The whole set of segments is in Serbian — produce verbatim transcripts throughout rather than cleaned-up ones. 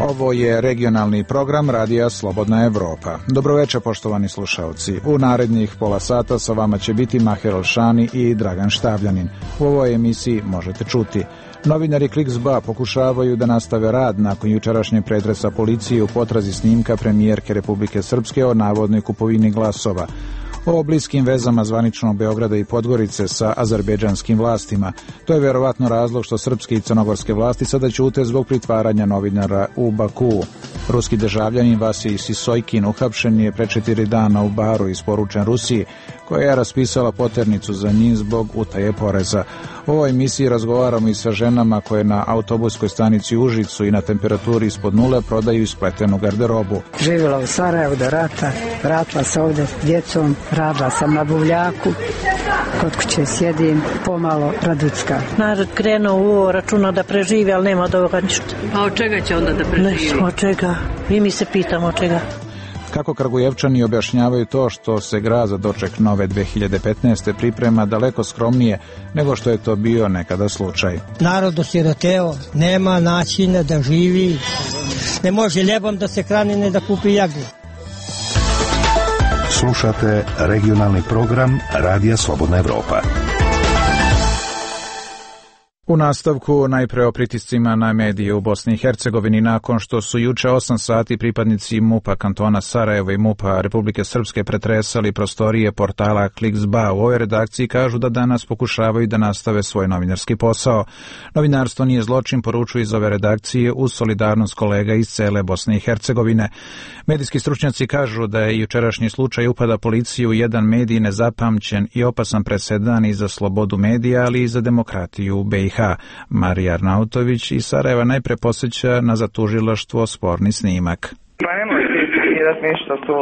Ovo je regionalni program Radija Slobodna Evropa. Dobroveče, poštovani slušalci. U narednih pola sata sa vama će biti Maher Olšani i Dragan Štavljanin. U ovoj emisiji možete čuti: novinari Kliks.ba pokušavaju da nastave rad nakon jučerašnje pretresa policije u potrazi snimka premijerke Republike Srpske o navodnoj kupovini glasova. O bliskim vezama zvaničnog Beograda i Podgorice sa azerbejdžanskim vlastima. To je verovatno razlog što srpske i crnogorske vlasti sada ćute zbog pritvaranja novinara u Bakuu. Ruski državljanin Vasij Sisojkin uhapšen je pre četiri dana u Baru, isporučen Rusiji, koja je raspisala poternicu za njih zbog utaje poreza. U ovoj emisiji razgovaramo i sa ženama koje na autobuskoj stanici u Užicu i na temperaturi ispod nule prodaju ispletenu garderobu. Živjela u Sarajevu do rata, vratila se ovdje s djecom, radila sam na buvljaku, kod kuće sjedim, pomalo raducka. Narod krenuo u ovo, računa da preživi, ali nema od ovoga ništa. A od čega će onda da preživi? Ne, od čega? I mi se pitamo od čega. Kako Kragujevčani objašnjavaju to što se grad za doček nove dve hiljade petnaeste. priprema daleko skromnije nego što je to bio nekada slučaj. Narod osiroteo, nema načina da živi, ne može ljebom da se hrani, ne da kupi jagu. Slušate regionalni program Radija Slobodna Evropa. U nastavku najpre o pritiscima na medije u Bosni i Hercegovini nakon što su juče osam sati pripadnici MUP-a kantona Sarajevo i MUP-a Republike Srpske pretresali prostorije portala Kliks.ba. U ovoj redakciji kažu da danas pokušavaju da nastave svoj novinarski posao. Novinarstvo nije zločin, poručuju iz ove redakcije uz solidarnost kolega iz cele Bosne i Hercegovine. Medijski stručnjaci kažu da je jučerašnji slučaj upada policije u jedan medij nezapamćen i opasan presedan i za slobodu medija, ali i za demokratiju u be i ha. Marija Arnautović iz Sarajeva najpre posjeća na zatužilaštvo sporni snimak. Pa nemoj ti ispirat ništa to.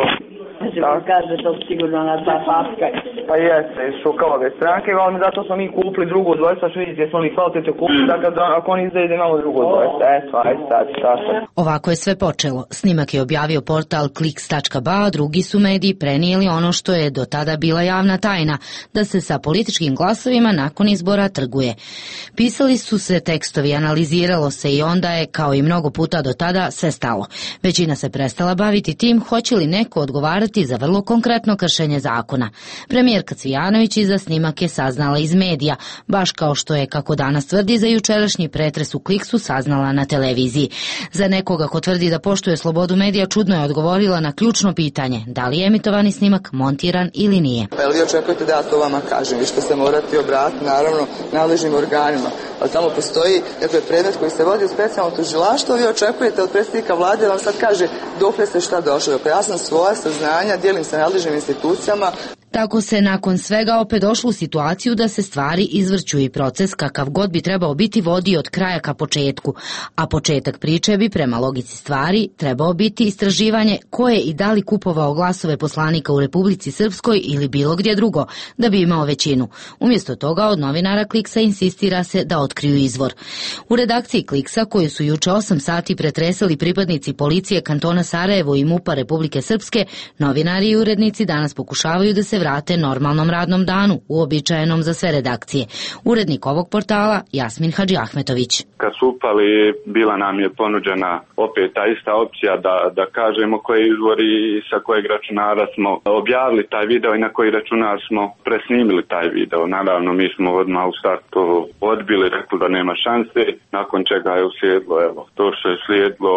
Znači, kaže to sigurno na ta papka. Pa jeste, iz Šukalove stranke, ali zato smo mi kupili drugo dvojstva, što vidite, jesmo li kvalitetno kupili, da kad ako oni izdaje da imamo drugo dvojstva. Eto, ajde sad, sad. Ovako je sve počelo. Snimak je objavio portal kliks tačka ba, a drugi su mediji prenijeli ono što je do tada bila javna tajna, da se sa političkim glasovima nakon izbora trguje. Pisali su se tekstovi, analiziralo se i onda je, kao i mnogo puta do tada, sve stalo. Većina se prestala baviti tim hoće li neko odgovarati za vrlo konkretno kršenje zakona. Premijerka Cvijanović iza snimak je saznala iz medija, baš kao što je, kako danas tvrdi, za jučerašnji pretres u Kliksu saznala na televiziji. Za nekoga ko tvrdi da poštuje slobodu medija, čudno je odgovorila na ključno pitanje, da li je emitovani snimak montiran ili nije. Pa li očekujete da ja to vama kažem? Vi ćete se morati obratiti, naravno, nadležnim organima. Ali tamo postoji dakle, predmet koji se vodi u specijalno tužilaštvo, vi očekujete od predsjednika vlade da vam sad kaže dokle ste šta došlo. Dakle, ja sam svoja saznanja, dijelim sa nadležnim institucijama. Tako se nakon svega opet došlo u situaciju da se stvari izvrću i proces kakav god bi trebao biti vodi od kraja ka početku, a početak priče bi prema logici stvari trebao biti istraživanje ko je i da li kupovao glasove poslanika u Republici Srpskoj ili bilo gdje drugo, da bi imao većinu. Umjesto toga od novinara Kliksa insistira se da otkriju izvor. U redakciji Kliksa, koju su juče osam sati pretresali pripadnici policije kantona Sarajevo i MUP-a Republike Srpske, novinari i urednici danas pokušavaju da se vrate normalnom radnom danu, uobičajenom za sve redakcije. Urednik ovog portala Jasmin Hadžiahmetović. Kad su upali, bila nam je ponuđena opet ta ista opcija da, da kažemo koji izvori i sa kojeg računara smo objavili taj video i na koji računar smo presnimili taj video. Naravno, mi smo odmah u startu odbili, rekli da nema šanse, nakon čega je uslijedilo, evo, to što je slijedilo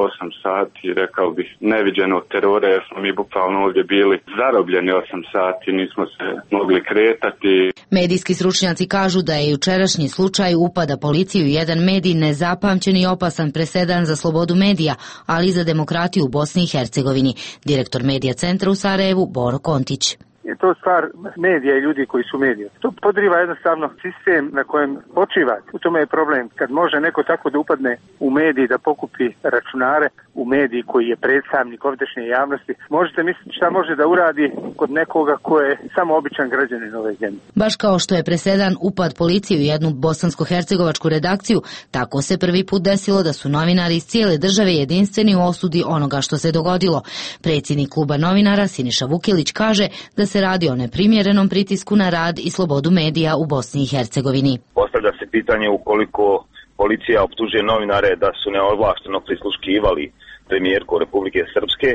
osam sati, rekao bih, neviđenog terora, jer smo mi bukvalno ovdje bili zarobljeni osam sati. Nismo se mogli kretati. Medijski stručnjaci kažu da je jučerašnji slučaj upada policije u jedan medij nezapamćen i opasan presedan za slobodu medija, ali i za demokratiju u Bosni i Hercegovini. Direktor Medija centra u Sarajevu, Boro Kontić. Je to stvar medija i ljudi koji su mediji. To podriva jednostavno sistem na kojem počiva. U tome je problem. Kad može neko tako da upadne u mediji, da pokupi računare u mediji koji je predstavnik ovdješnje javnosti, možete misliti šta može da uradi kod nekoga ko je samo običan građanin ove zemlje. Baš kao što je presedan upad policije u jednu bosansko-hercegovačku redakciju, tako se prvi put desilo da su novinari iz cijele države jedinstveni u osudi onoga što se dogodilo. Predsjednik kluba novinara Siniša Vukilić kaže da se radi o neprimjerenom pritisku na rad i slobodu medija u Bosni i Hercegovini. Postavlja se pitanje ukoliko policija optužuje novinare da su neovlašteno prisluškivali premijerku Republike Srpske,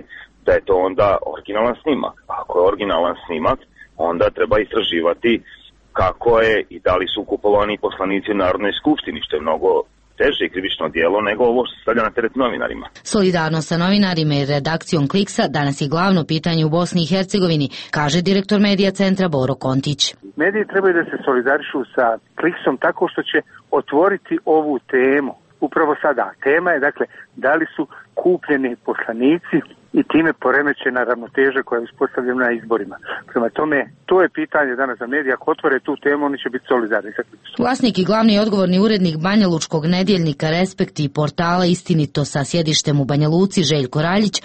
da je to onda originalan snimak. Ako je originalan snimak, onda treba istraživati kako je i da li su kupovani poslanici u Narodnoj skupštini, što je mnogo teže krivično djelo nego ovo što se stavlja na teret novinarima. Solidarnost sa novinarima i redakcijom Kliksa danas je glavno pitanje u Bosni i Hercegovini, kaže direktor medija centra Boro Kontić. Mediji trebaju da se solidarišu sa Kliksom tako što će otvoriti ovu temu. Upravo sada. Tema je, dakle, da li su kupljeni poslanici i time poremećena ravnoteža koja je uspostavljena na izborima. Prema tome, to je pitanje danas za medije. Ako otvore tu temu, oni će biti solidarni sa Kliksom. Vlasnik i glavni odgovorni urednik Banjalučkog nedjeljnika Respekt i portala Istinito sa sjedištem u Banja Luci, Željko Raljić,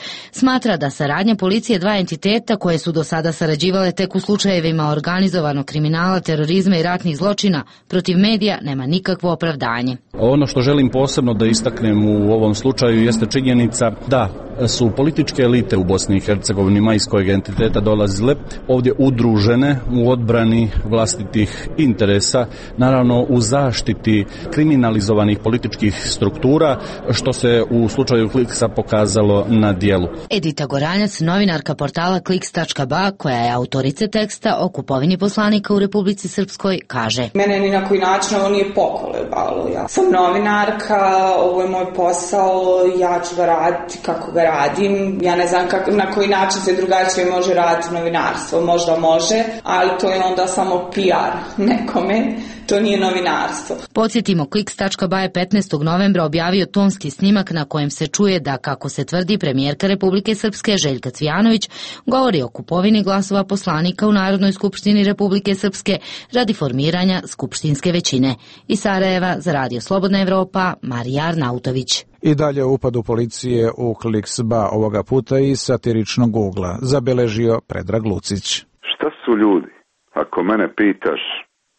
smatra da saradnja policije dva entiteta koje su do sada sarađivale tek u slučajevima organizovanog kriminala, terorizma i ratnih zločina protiv medija nema nikakvo opravdanje. Ono što želim posebno da istaknem u ovom slučaju jeste činjenica da su političke elite u Bosni i Hercegovini iz kojeg entiteta dolazile ovdje udružene u odbrani vlastitih interesa, naravno u zaštiti kriminalizovanih političkih struktura, što se u slučaju Kliksa pokazalo na dijelu. Edita Goranjac, novinarka portala kliks tačka ba, koja je autorica teksta o kupovini poslanika u Republici Srpskoj, kaže: Mene ni na koji način ovo nije pokolebalo. Ja sam novinarka, ovo je moj posao, ja ću ga raditi kako ga radim. Ja ne znam kako, na koji način se drugačije može raditi novinarstvo. Možda može, ali to je onda samo P R nekome. To nije novinarstvo. Podsjetimo, kliks tačka ba je petnaestog novembra objavio tonski snimak na kojem se čuje da, kako se tvrdi, premijerka Republike Srpske Željka Cvijanović govori o kupovini glasova poslanika u Narodnoj skupštini Republike Srpske radi formiranja skupštinske većine. Iz Sarajeva za Radio Slobodna Evropa, Marija Arnautović. I dalje upadu policije u Kliks.ba, ovoga puta i satiričnog ugla, zabeležio Predrag Lucić. Šta su ljudi? Ako mene pitaš,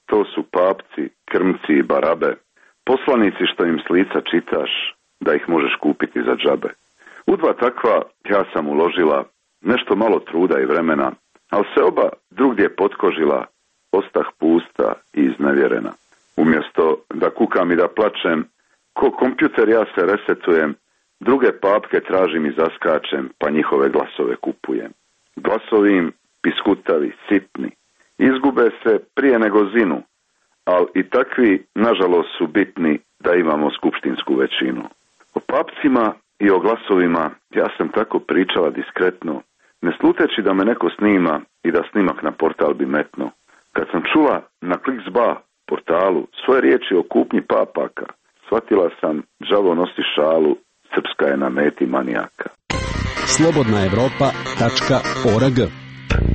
to su papci, krmci i barabe, poslanici što im s lica čitaš, da ih možeš kupiti za džabe. U dva takva ja sam uložila nešto malo truda i vremena, ali se oba drugdje potkožila, ostah pusta i iznevjerena. Umjesto da kukam i da plačem, ko kompjuter ja se resetujem, druge papke tražim i zaskačem, pa njihove glasove kupujem. Glasovi im piskutavi, sitni, izgube se prije nego zinu, ali i takvi, nažalost, su bitni da imamo skupštinsku većinu. O papcima i o glasovima ja sam tako pričala diskretno, ne sluteći da me neko snima i da snimak na portal bi metno. Kad sam čula na Kliks.ba portalu svoje riječi o kupnji papaka, shvatila sam, đavo nosi šalu, Srpska je na meti manijaka. slobodna evropa tačka org.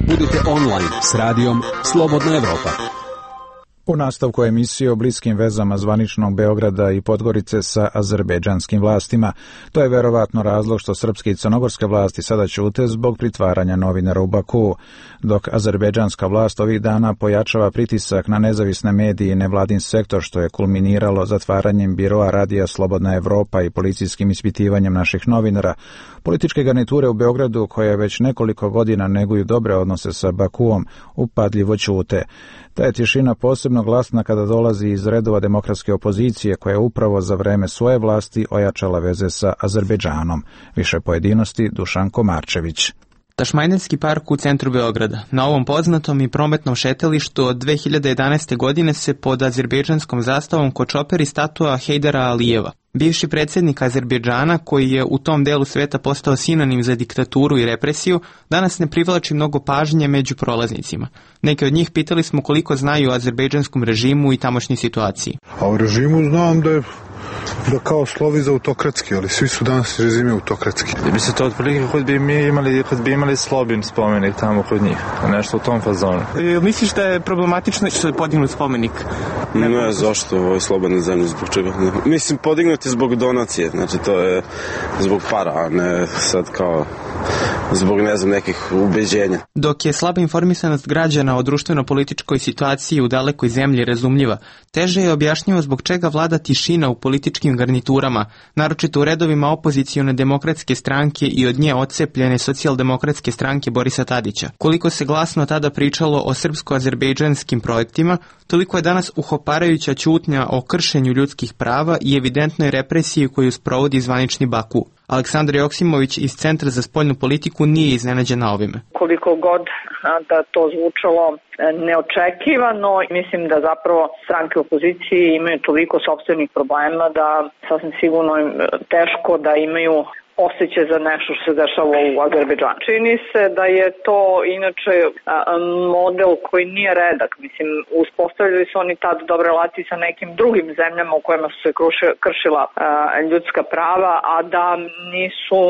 Budite online s radijom Slobodna Evropa. U nastavku emisije o bliskim vezama zvaničnog Beograda i Podgorice sa azerbejdžanskim vlastima. To je verovatno razlog što srpske i crnogorske vlasti sada ćute zbog pritvaranja novinara u Bakuu, dok azerbejdžanska vlast ovih dana pojačava pritisak na nezavisne medije i nevladin sektor, što je kulminiralo zatvaranjem biroa Radija Slobodna Evropa i policijskim ispitivanjem naših novinara. Političke garniture u Beogradu, koje već nekoliko godina neguju dobre odnose sa Bakuom, upadljivo ćute. Ta je tišina posebno glasna kada dolazi iz redova demokratske opozicije, koja je upravo za vreme svoje vlasti ojačala veze sa Azerbejdžanom. Više pojedinosti Dušan Komarčević. Tašmajdanski park u centru Beograda. Na ovom poznatom i prometnom šetalištu od dve hiljade jedanaeste. godine se pod azerbejdžanskom zastavom kočoperi statua Hejdara Alijeva. Bivši predsjednik Azerbejdžana, koji je u tom delu sveta postao sinonim za diktaturu i represiju, danas ne privlači mnogo pažnje među prolaznicima. Neki od njih pitali smo koliko znaju o azerbejdžanskom režimu i tamošnjoj situaciji. A u režimu znam da je da kao slovi za autokratski, ali svi su danas režimi autokratski. Bi se to otprilike kod bi mi imali, kod bi imali Slobin spomenik tamo kod njih, nešto u tom fazonu. E, misliš da je problematično što je podignut spomenik? Ne, ne zašto, ovo je slobodna zemlja, zbog čega? Mislim, podignut je zbog donacije, znači to je zbog para, a ne sad kao zbog, ne znam, nekih ubeđenja. Dok je slaba informisanost građana o društveno-političkoj situaciji u dalekoj zemlji razumljiva, teže je objašnjivo zbog čega vlada tišina u političkim garniturama, naročito u redovima opozicione demokratske stranke i od nje odcepljene socijaldemokratske stranke Borisa Tadića. Koliko se glasno tada pričalo o srpsko-azerbejdžanskim projektima, toliko je danas uhoparajuća ćutnja o kršenju ljudskih prava i evidentnoj represiji koju sprovodi zvanični Baku. Aleksandar Joksimović iz Centra za spoljnu politiku nije iznenađena ovime. Koliko god da to zvučalo neočekivano, mislim da zapravo stranke opozicije imaju toliko sopstvenih problema da sasvim sigurno im teško da imaju osjećaj za nešto što se dešava u Azerbejdžanu. Čini se da je to inače model koji nije redak. Mislim, uspostavljali su oni tad dobre relacije sa nekim drugim zemljama u kojima su se kršila ljudska prava, a da nisu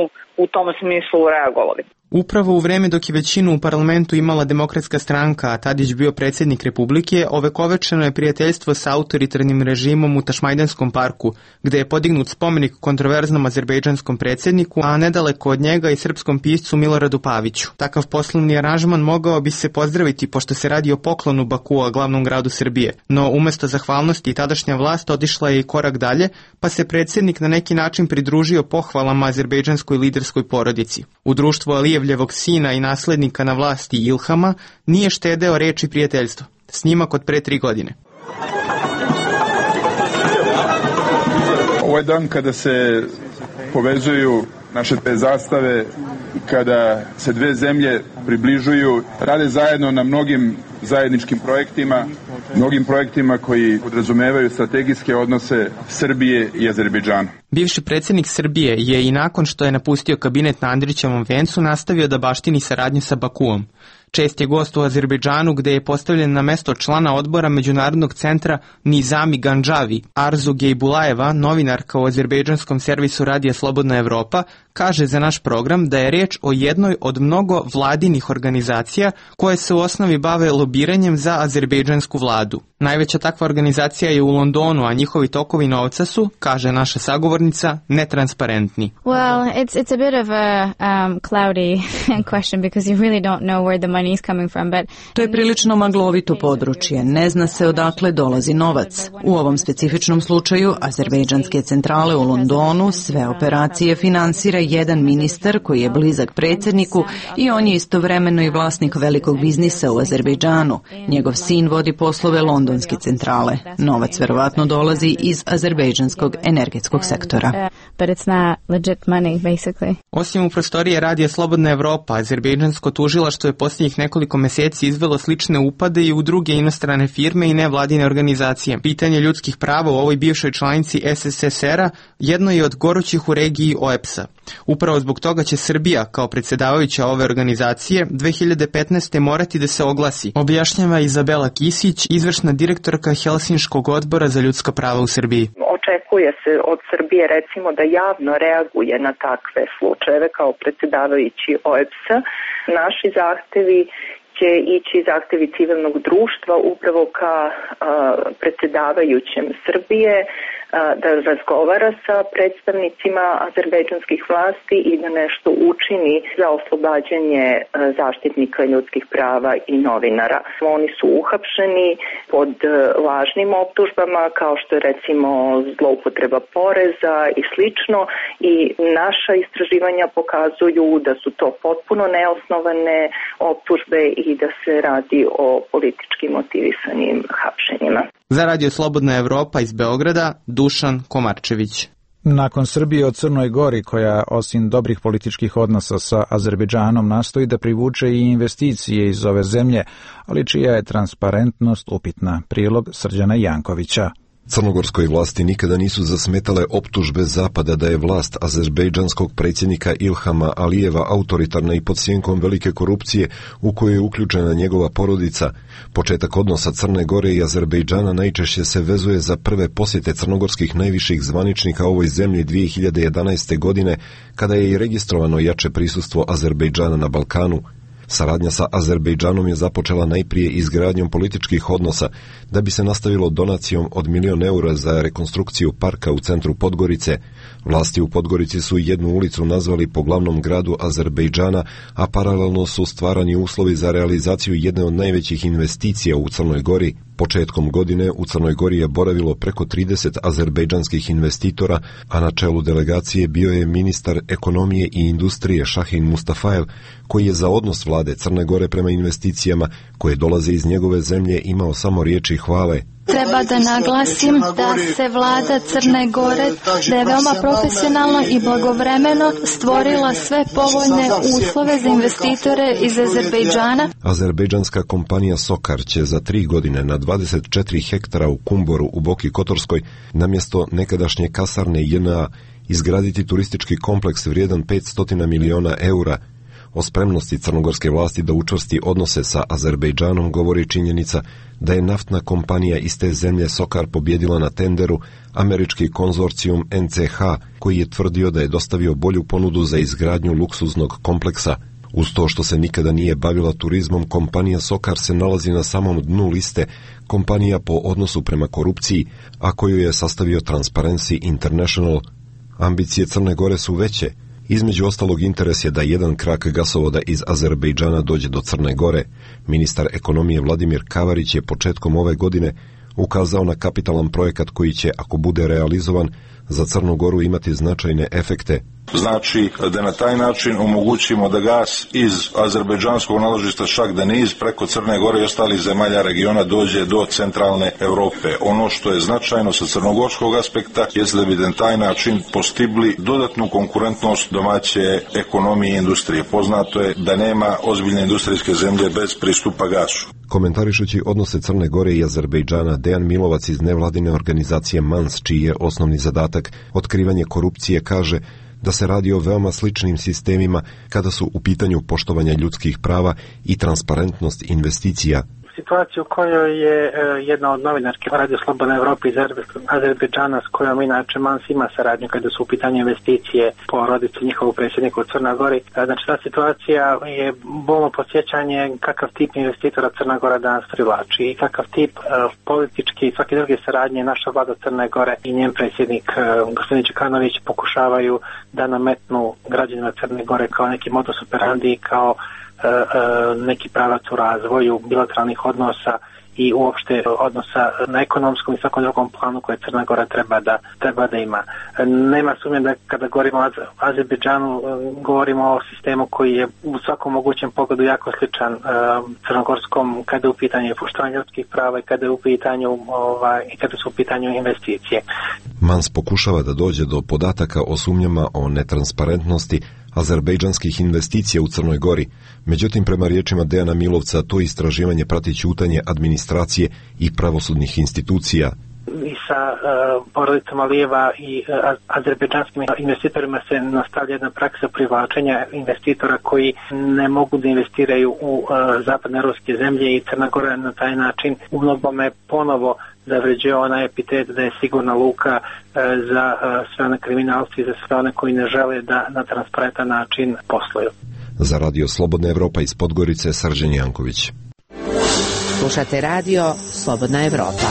u tom smislu reagovali. Upravo u vreme dok je većinu u parlamentu imala Demokratska stranka, a Tadić bio predsjednik Republike, ovekovečeno je prijateljstvo sa autoritarnim režimom u Tašmajdanskom parku, gde je podignut spomenik kontroverznom azerbejdžanskom predsjedniku, a nedaleko od njega i srpskom piscu Miloradu Paviću. Takav poslovni aranžman mogao bi se pozdraviti pošto se radi o poklonu Bakua, glavnom gradu Srbije, no umjesto zahvalnosti tadašnja vlast otišla je i korak dalje, pa se predsjednik na neki način pridružio pohvalama azerbejdžanskoj liderskoj porodici. U društvu Alijevljevog sina i naslednika na vlasti Ilhama nije štedeo reči prijateljstva. Snimak od pre tri godine. Ovo je dan kada se povezuju naše te zastave, kada se dve zemlje približuju, rade zajedno na mnogim zajedničkim projektima, mnogim projektima koji podrazumevaju strategijske odnose Srbije i Azerbejdžana. Bivši predsjednik Srbije je i nakon što je napustio kabinet na Andrićevom vencu nastavio da baštini saradnju sa Bakuom. Čest je gost u Azerbejdžanu gde je postavljen na mesto člana odbora Međunarodnog centra Nizami Ganđavi. Arzu Gejbulajeva, novinarka u azerbejdžanskom servisu Radija Slobodna Evropa, kaže za naš program da je reč o jednoj od mnogo vladinih organizacija koje se u osnovi bave lobiranjem za azerbejdžansku vladu. Najveća takva organizacija je u Londonu, a njihovi tokovi novca su, kaže naša sagovornica, netransparentni. Well, it's it's a bit of a um, cloudy question because you really don't know where the money is coming from, but to je prilično maglovito područje. Ne zna se odakle dolazi novac. U ovom specifičnom slučaju azerbejdžanske centrale u Londonu sve operacije finansira jedan ministar koji je blizak predsjedniku i on je istovremeno i vlasnik velikog biznisa u Azerbejdžanu. Njegov sin vodi poslove londonske centrale. Novac verovatno dolazi iz azerbejdžanskog energetskog sektora. But it's not legit money, basically. Osim u prostorije Radija Slobodna Evropa, azerbejdžansko tužilaštvo je posljednjih nekoliko mjeseci izvelo slične upade i u druge inostrane firme i nevladine organizacije. Pitanje ljudskih prava u ovoj bivšoj članici S S S R-a jedno je od gorućih u regiji O E P S-a. Upravo zbog toga će Srbija, kao predsjedavajuća ove organizacije, dve hiljade petnaeste. morati da se oglasi, objašnjava Izabela Kisić, izvršna direktorka Helsinškog odbora za ljudska prava u Srbiji. Očekuje se od Srbije recimo da javno reaguje na takve slučajeve kao predsjedavajući O E P S-a. Naši zahtevi će ići zahtevi civilnog društva upravo ka a, predsjedavajućem Srbije a, da razgovara sa predstavnicima azerbejdžanskih vlasti i da nešto učini za oslobađanje a, zaštitnika ljudskih prava i novinara. Oni su uhapšeni pod a, lažnim optužbama kao što je recimo zloupotreba poreza i slično i naša istraživanja pokazuju da su to potpuno neosnovane optužbe i da se radi o politički motivisanim hapšenjima. Za Radio Slobodna Evropa iz Beograda, Dušan Komarčević. Nakon Srbije o Crnoj Gori, koja osim dobrih političkih odnosa sa Azerbejdžanom nastoji da privuče i investicije iz ove zemlje, ali čija je transparentnost upitna. Prilog Srđana Jankovića. Crnogorskoj vlasti nikada nisu zasmetale optužbe Zapada da je vlast azerbejdžanskog predsjednika Ilhama Alijeva autoritarna i pod sjenkom velike korupcije u kojoj je uključena njegova porodica. Početak odnosa Crne Gore i Azerbejdžana najčešće se vezuje za prve posjete crnogorskih najviših zvaničnika ovoj zemlji dvije hiljade jedanaeste. godine, kada je i registrovano jače prisustvo Azerbejdžana na Balkanu. Saradnja sa Azerbejdžanom je započela najprije izgradnjom političkih odnosa, da bi se nastavilo donacijom od milion eura za rekonstrukciju parka u centru Podgorice. Vlasti u Podgorici su jednu ulicu nazvali po glavnom gradu Azerbejdžana, a paralelno su stvarani uslovi za realizaciju jedne od najvećih investicija u Crnoj Gori. Početkom godine u Crnoj Gori je boravilo preko trideset azerbejdžanskih investitora, a na čelu delegacije bio je ministar ekonomije i industrije Šahin Mustafajev, koji je za odnos vlade Crne Gore prema investicijama koje dolaze iz njegove zemlje imao samo riječi hvale. Treba da naglasim da se vlada Crne Gore, da je veoma profesionalno i blagovremeno stvorila sve povoljne uslove za investitore iz Azerbejdžana. Azerbejdžanska kompanija Sokar će za tri godine na dvadeset četiri hektara u Kumboru u Boki Kotorskoj namjesto nekadašnje kasarne J N A izgraditi turistički kompleks vrijedan petsto miliona eura. O spremnosti crnogorske vlasti da učvrsti odnose sa Azerbejdžanom govori činjenica da je naftna kompanija iz te zemlje Sokar pobjedila na tenderu američki konzorcijum N C H, koji je tvrdio da je dostavio bolju ponudu za izgradnju luksuznog kompleksa. Uz to što se nikada nije bavila turizmom, kompanija Sokar se nalazi na samom dnu liste kompanija po odnosu prema korupciji, a koju je sastavio Transparency International. Ambicije Crne Gore su veće. Između ostalog interes je da jedan krak gasovoda iz Azerbejdžana dođe do Crne Gore. Ministar ekonomije Vladimir Kavarić je početkom ove godine ukazao na kapitalan projekat koji će, ako bude realizovan, za Crnu Goru imati značajne efekte. Znači da na taj način omogućimo da gas iz azerbejdžanskog naložišta Šak Deniz preko Crne Gore i ostalih zemalja regiona dođe do centralne Europe. Ono što je značajno sa crnogorskog aspekta je da bi na taj način postigli dodatnu konkurentnost domaće ekonomije i industrije. Poznato je da nema ozbiljne industrijske zemlje bez pristupa gasu. Komentarišući odnose Crne Gore i Azerbejdžana, Dejan Milovac iz nevladine organizacije Mans, čiji je osnovni zadatak otkrivanje korupcije, kaže da se radi o veoma sličnim sistemima kada su u pitanju poštovanja ljudskih prava i transparentnost investicija. Situaciju u kojoj je e, jedna od novinarki Radio Slobodna Evropa iz Azerbejdžana, s kojom inače Mans ima saradnju kada su u pitanju investicije po rodicu njihovog predsjednika u Crna Gori. Znači ta situacija je bolno podsjećanje kakav tip investitora Crna Gora danas privlači i kakav tip e, politički i svake druge saradnje naša vlada Crne Gore i njen predsjednik e, gospodin Đukanović pokušavaju da nametnu građanima Crne Gore kao neki modus operandi, kao neki pravac u razvoju bilateralnih odnosa i uopšte odnosa na ekonomskom i svakom drugom planu koje Crna Gora treba da, treba da ima. Nema sumnje da kada govorimo o Azerbejdžanu, govorimo o sistemu koji je u svakom mogućem pogledu jako sličan uh, crnogorskom kada je u pitanju poštovanja ljudskih prava i kada je u pitanju ovaj, i kada su u pitanju investicije. Mans pokušava da dođe do podataka o sumnjama o netransparentnosti azerbejdžanskih investicija u Crnoj Gori. Međutim, prema riječima Dejana Milovca, to istraživanje prati ćutanje administracije i pravosudnih institucija. I sa uh, porodicom Alijeva i uh, azerbejdžanskim investitorima se nastavlja jedna praksa privlačenja investitora koji ne mogu da investiraju u uh, zapadne ruske zemlje i Crna Gora na taj način u mnogome ponovo zavređuje onaj epitet da je sigurna luka uh, za uh, sve one kriminalci i za sve one koji ne žele da na transparentan način posluju. Za Radio Slobodna Evropa iz Podgorice, Srđan Janković. Slušate Radio Slobodna Evropa.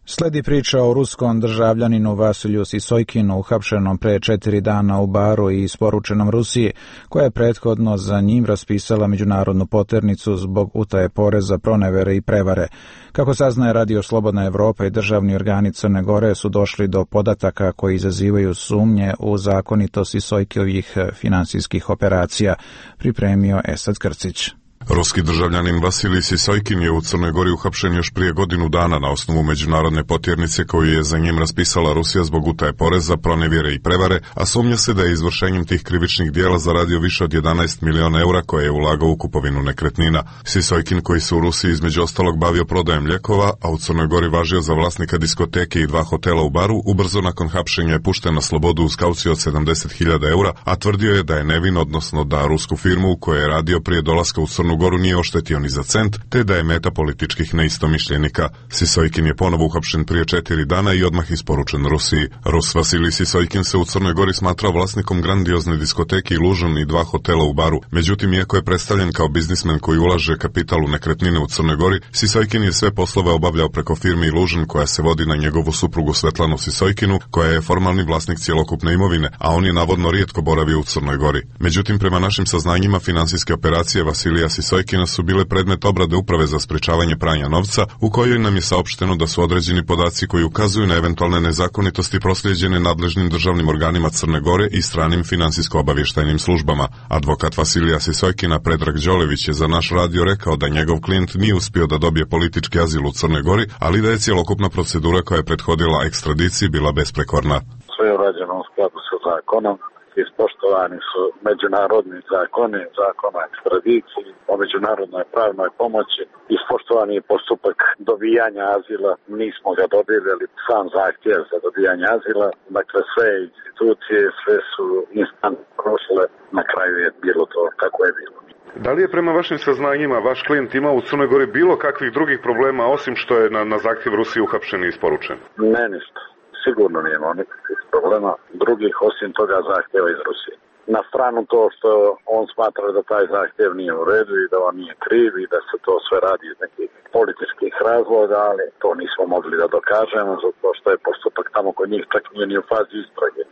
Sledi priča o ruskom državljaninu Vasiliju Sisojkinu, uhapšenom pre četiri dana u Baru i isporučenom Rusiji, koja je prethodno za njim raspisala međunarodnu poternicu zbog utaje poreza, pronevere i prevare. Kako saznaje Radio Slobodna Evropa i državni organi Crne Gore su došli do podataka koji izazivaju sumnje u zakonitost Sisojkiovih finansijskih operacija, pripremio Esad Krcić. Ruski državljanin Vasilij Sisojkin je u Crnoj Gori uhapšen još prije godinu dana na osnovu međunarodne potjernice koju je za njim raspisala Rusija zbog utaje poreza, pronevjere i prevare, a sumnja se da je izvršenjem tih krivičnih dijela zaradio više od jedanaest miliona eura koje je ulagao u kupovinu nekretnina. Sisojkin, koji se u Rusiji između ostalog bavio prodajem lijekova, a u Crnoj Gori važio za vlasnika diskoteke i dva hotela u Baru, ubrzo nakon hapšenja je pušten na slobodu uz kauciju od sedamdeset hiljada eura, a tvrdio je da je nevin, odnosno da rusku firmu u kojoj je radio prije dolaska u Crnu Crnu Goru nije oštetio ni za cent, te da je meta političkih neistomišljenika. Sisojkin je ponovo uhapšen prije četiri dana i odmah isporučen Rusiji. Rus Vasilij Sisojkin se u Crnoj Gori smatrao vlasnikom grandiozne diskoteke i Lužan i dva hotela u Baru. Međutim, iako je predstavljen kao biznismen koji ulaže kapital u nekretnine u Crnoj Gori, Sisojkin je sve poslove obavljao preko firme Ilužan koja se vodi na njegovu suprugu Svetlanu Sisojkinu, koja je formalni vlasnik cjelokupne imovine, a on je navodno rijetko boravio u Crnoj Gori. Međutim, prema našim saznanjima, finansijske operacije Vasilija Sisojkina su bile predmet obrade Uprave za sprečavanje pranja novca, u kojoj nam je saopšteno da su određeni podaci koji ukazuju na eventualne nezakonitosti proslijeđene nadležnim državnim organima Crne Gore i stranim finansijsko-obavještajnim službama. Advokat Vasilija Sisojkina Predrag Đolević je za naš radio rekao da njegov klijent nije uspio da dobije politički azil u Crnoj Gori, ali da je cjelokupna procedura koja je prethodila ekstradiciji bila besprekorna. Sve je urađeno u skladu sa zakonom, ispoštovani su međunarodni zakoni, zakon o ekstradiciji, o međunarodnoj pravnoj pomoći, ispoštovani je postupak dobijanja azila, nismo ga dobili, ali sam zahtjev za dobijanje azila, dakle sve institucije, sve su instance prošle, na kraju je bilo to kako je bilo. Da li je prema vašim saznanjima vaš klijent imao u Crnoj Gori bilo kakvih drugih problema, osim što je na, na zahtjev Rusije uhapšen i isporučen? Ne, ništa. Sigurno nije imao nikakvih problema drugih osim toga zahtjeva iz Rusije. Na stranu to što on smatra da taj zahtjev nije u redu i da on nije kriv i da se to sve radi iz nekih političkih razloga, ali to nismo mogli da dokažemo zato što je postupak tamo kod njih čak nije ni u fazi istrage,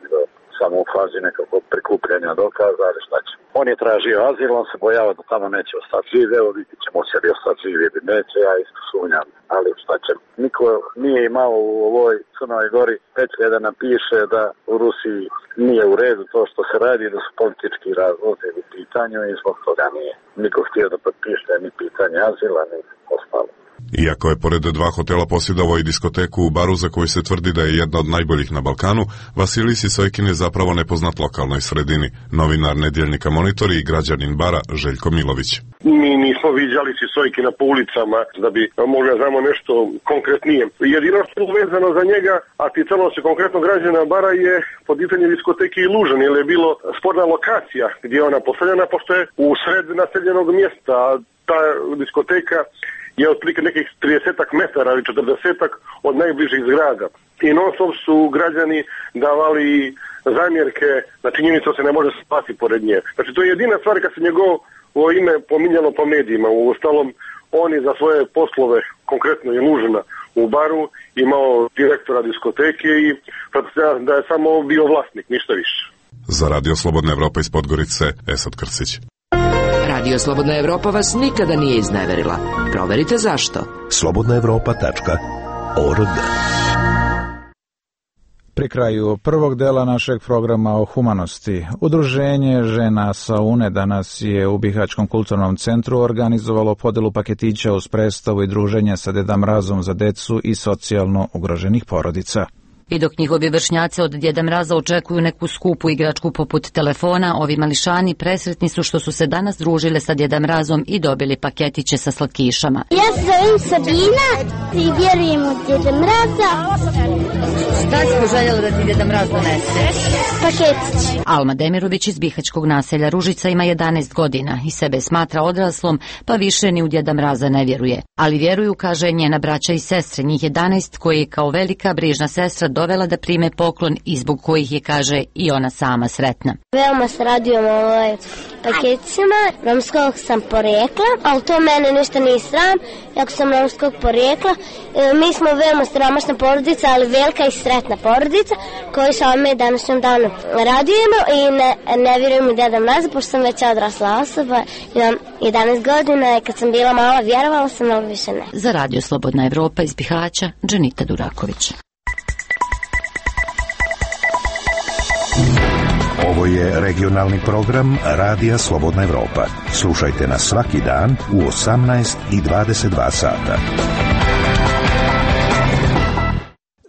samo u fazi nekakvog prikupljanja dokaza, ali šta će. On je tražio azil, on se bojava da tamo neće ostati živ, evo vidit ćemo će li ostati živ ili neće, ja isto sumnjam, ali šta će. Niko nije imao u ovoj Crnoj Gori petlje da napiše da u Rusiji nije u redu to što se radi, da su politički razlozi u pitanju i zbog toga nije niko htio da potpiše ni pitanje azila, ni ostalo. Iako je pored dva hotela posjedovao i diskoteku u Baru za koju se tvrdi da je jedna od najboljih na Balkanu, Vasilij Sisojkin je zapravo nepoznat lokalnoj sredini. Novinar nedjeljnika Monitor i građanin Bara Željko Milović. Mi nismo viđali Sisojkina po ulicama da bi mogli znamo nešto konkretnije. Jedino što je vezano za njega, a ticalo se konkretno građana Bara, je podizanje diskoteke Ilužan, jer je bilo sporna lokacija gdje je ona postavljena, pošto je u sred naseljenog mjesta. Ta diskoteka je otprilike nekih tridesetak metara ili četrdesetak od najbližih zgrada. I non stop su građani davali zamjerke na činjenicu da se ne može spati pored nje. Znači to je jedina stvar kad se njegovo ime pominjalo po medijima. U ostalom, on je za svoje poslove, konkretno je Lužana u Baru, imao direktora diskoteke i da je samo bio vlasnik, ništa više. Za Radio Slobodna Evropa iz Podgorice, Esad Krsić. Radio Slobodna Evropa vas nikada nije izneverila. Proverite zašto. slobodna evropa tačka org. Pri kraju prvog dela našeg programa o humanosti, Udruženje žena Saune danas je u Bihaćkom kulturnom centru organizovalo podelu paketića uz predstavu i druženje sa Deda Mrazom za decu i socijalno ugroženih porodica. I dok njihovi vršnjaci od Djeda Mraza očekuju neku skupu igračku poput telefona, ovi mališani presretni su što su se danas družile sa Djeda Mrazom i dobili paketiće sa slatkišama. Ja se zovem Sabina i vjerujem u Djeda Mraza. Šta si poželjela da ti Djeda Mraz donese? Paketić. Alma Demirović iz bihaćkog naselja Ružica ima jedanaest godina i sebe smatra odraslom, pa više ni u Djeda Mraza ne vjeruje. Ali vjeruju, kaže, njena braća i sestre, njih jedanaest, koje je kao velika brižna sestra dovela da prime poklon i zbog kojih je, kaže, i ona sama sretna. Veoma se radujem ovaj paketima. Romskog sam porijekla, ali to mene ništa nije sram, jako sam romskog porijekla. E, mi smo veoma siromašna porodica, ali velika i sretna porodica, koju sa ovome današnjem danu radujemo i ne, ne vjerujem u Djeda Mraza, pošto sam već odrasla osoba, imam jedanaest godina i kad sam bila mala vjerovala sam, ali više ne. Za Radio Slobodna Evropa iz Bihaća, Dženita Duraković. Ovo je regionalni program Radija Slobodna Evropa. Slušajte nas svaki dan u osamnaest i dvadeset dva sata.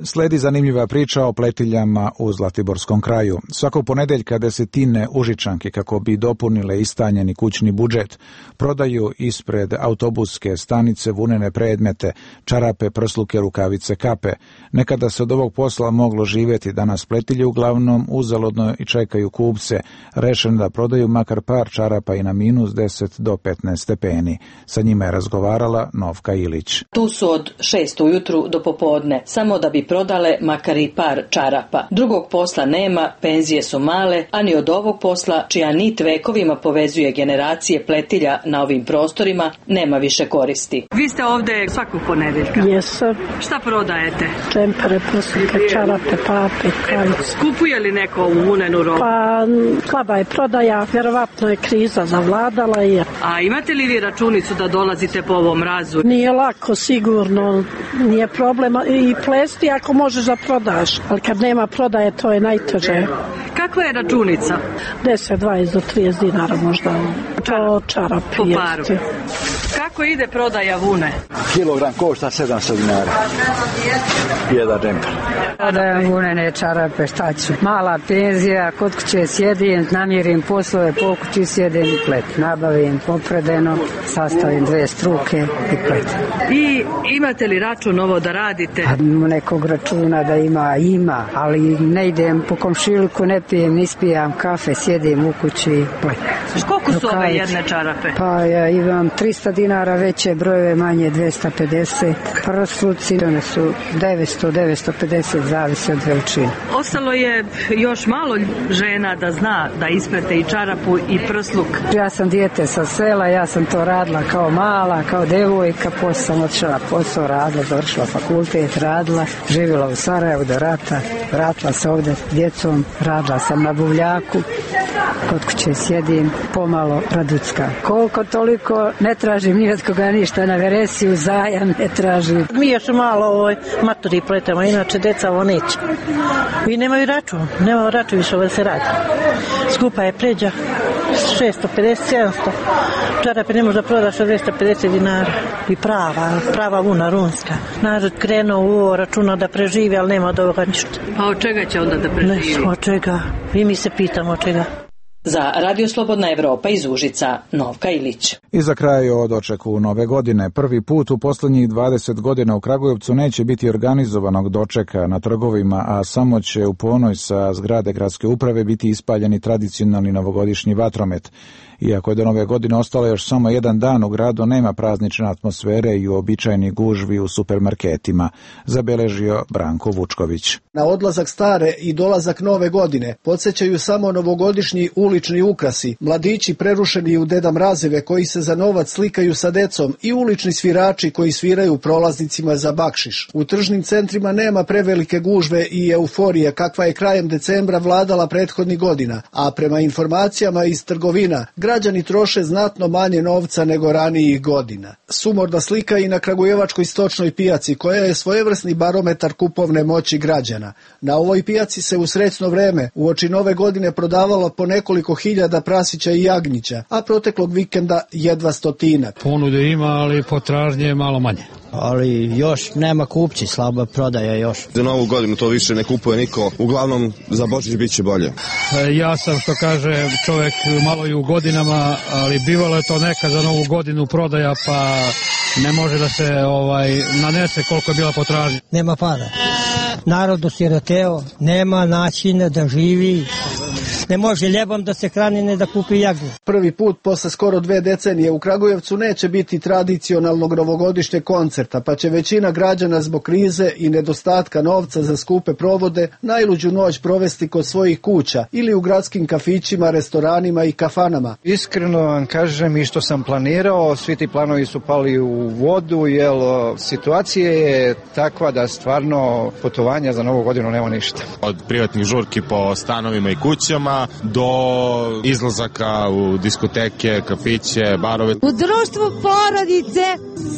Sledi zanimljiva priča o pletiljama u Zlatiborskom kraju. Svakog ponedeljka desetine Užičanki, kako bi dopunile istanjeni kućni budžet, prodaju ispred autobuske stanice vunene predmete, čarape, prsluke, rukavice, kape. Nekada se od ovog posla moglo živjeti, danas pletilje uglavnom uzaludno i čekaju kupce, rešen da prodaju makar par čarapa i na minus deset do petnaest stepeni. Sa njima je razgovarala Novka Ilić. Tu su od šest ujutru do popodne, samo da bi prodale makar i par čarapa. Drugog posla nema, penzije su male, a ni od ovog posla, čija nit vekovima povezuje generacije pletilja na ovim prostorima, nema više koristi. Vi ste ovde svakog ponedeljka. Jesam. Šta prodajete? Džempere, prsluke, čarape, pape, kavice. Kupuje li neko ovu vunenu robu? Pa, slaba je prodaja, vjerovatno je kriza zavladala. I... A imate li vi računicu da dolazite po ovom mrazu? Nije lako, sigurno, nije problema i plesti ako možeš da prodaš, ali kad nema prodaje to je najteže. Kakva je računica? deset, dvadeset do trideset dinara možda. To čarap jeste. Kako ide prodaja vune? Kilogram košta sedamsto dinara. Jedan džemper. Prodajem vunene čarape, šta ću? Mala penzija, kod kuće sjedim, namirim poslove, po kući sjedim i plet. Nabavim popredeno, sastavim dve struke i plet. I imate li račun ovo da radite? Nekog računa da ima, ima, ali ne idem po komšiluku, ne pijem, ispijam kafe, sjedim u kući i plet. Koliko su ove jedne čarape? Pa ja imam tristo dinara, veće brojeve, manje dvesta pedeset. Prsluci, one su devetsto do devetsto pedeset, zavisi od veličine. Ostalo je još malo žena da zna da isprete i čarapu i prsluk. Ja sam dijete sa sela, ja sam to radila kao mala, kao devojka, posle sam otišla posao, radila, završila fakultet, radila, živjela u Sarajevu do rata, vratila se ovde s djecom, radila sam na buvljaku, kod kuće sjedim, pomalo raducka. Koliko toliko ne tražim ni od koga ništa, na veresiju, zajam ne tražim. Mi još malo ovoj maturi pletamo, inače deca ovo neće. I nemaju račun, nemaju račun više ovo se radi. Skupa je pređa, šesto pedeset, sedamsto. Čarape ne možda prodaš od dvesta pedeset dinara. I prava, prava vuna runska. Narod krenuo u ovo računa da preživi, ali nema od ovoga ništa. A od čega će onda da preživi? Ne, od čega. I mi se pitamo od čega. Za Radio Slobodna Evropa iz Užica, Novka Ilić. I za kraj o dočeku nove godine. Prvi put u posljednjih dvadeset godina u Kragujevcu neće biti organizovanog dočeka na trgovima, a samo će u ponoj sa zgrade gradske uprave biti ispaljeni tradicionalni novogodišnji vatromet. Iako je do nove godine ostalo još samo jedan dan, u gradu nema praznične atmosfere i uobičajeni gužvi u supermarketima, zabeležio Branko Vučković. Na odlazak stare i dolazak nove godine podsjećaju samo novogodišnji ulični ukrasi, mladići prerušeni u Deda Mrazeve koji se za novac slikaju sa decom i ulični svirači koji sviraju prolaznicima za bakšiš. U tržnim centrima nema prevelike gužve i euforije kakva je krajem decembra vladala prethodnih godina, a prema informacijama iz trgovina, građani troše znatno manje novca nego ranijih godina. Sumorna slika i na kragujevačkoj stočnoj pijaci, koja je svojevrsni barometar kupovne moći građana. Na ovoj pijaci se u srećno vreme uoči nove godine prodavalo po nekoliko hiljada prasića i jagnjića, a proteklog vikenda jedva stotina. Ponude ima, ali potražnje je malo manje. Ali još nema kupci, slaba prodaja još. Za novu godinu to više ne kupuje niko, uglavnom za Božić bit će bolje. Ja sam, što kaže čovjek, malo i u godinama, ali bivalo je to neka za novu godinu prodaja, pa ne može da se ovaj nanese koliko je bila potražnja. Nema para. Narod osiroteo, nema načina da živi. Ne može ljebom da se hrani, ne da kupi jagnje. Prvi put posle skoro dve decenije u Kragujevcu neće biti tradicionalnog novogodišnjeg koncerta, pa će većina građana zbog krize i nedostatka novca za skupe provode najluđu noć provesti kod svojih kuća ili u gradskim kafićima, restoranima i kafanama. Iskreno vam kažem, i što sam planirao, svi ti planovi su pali u vodu, jer situacija je takva da stvarno putovanja za novu godinu nema ništa. Od privatnih žurki po stanovima i kućama kluba do izlazaka u diskoteke, kafiće, barove. U društvu porodice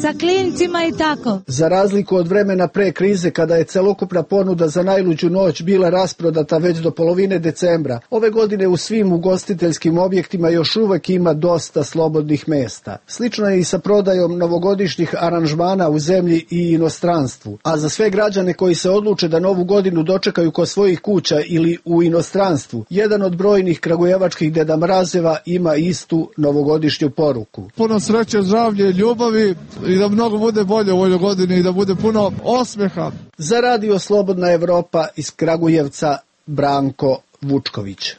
sa klincima i tako. Za razliku od vremena pre krize kada je celokupna ponuda za najluđu noć bila rasprodata već do polovine decembra, ove godine u svim ugostiteljskim objektima još uvek ima dosta slobodnih mesta. Slično je i sa prodajom novogodišnjih aranžmana u zemlji i inostranstvu. A za sve građane koji se odluče da novu godinu dočekaju kod svojih kuća ili u inostranstvu, jedan od brojnih kragujevačkih Deda Mrazeva ima istu novogodišnju poruku. Puno sreće, zdravlje, ljubavi i da mnogo bude bolje u ovoj godini i da bude puno osmeha. Za Radio Slobodna Evropa iz Kragujevca, Branko Vučković.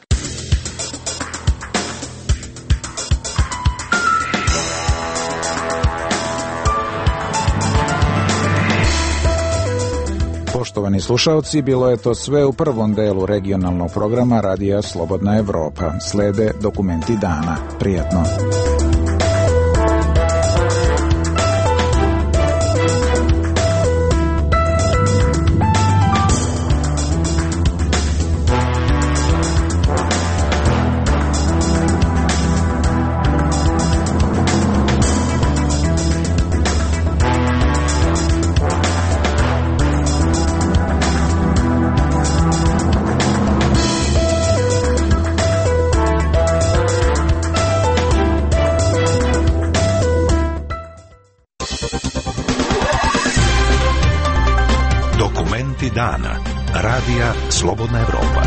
Poštovani slušalci, bilo je to sve u prvom delu regionalnog programa Radija Slobodna Evropa. Slede dokumenti dana. Prijatno. Dana. Radija Slobodna Evropa.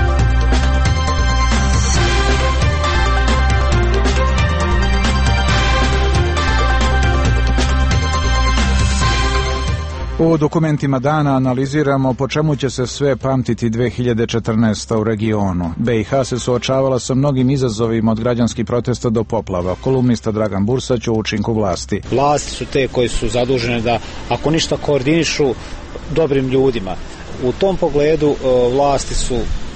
U dokumentima dana analiziramo po čemu će se sve pamtiti dve hiljade četrnaesta. u regionu. be i ha se suočavala sa mnogim izazovima od građanskih protesta do poplava. Kolumnista Dragan Bursać o učinku vlasti. Vlasti su te koji su zadužene da, ako ništa, koordinišu dobrim ljudima. U tom pogledu vlasti su,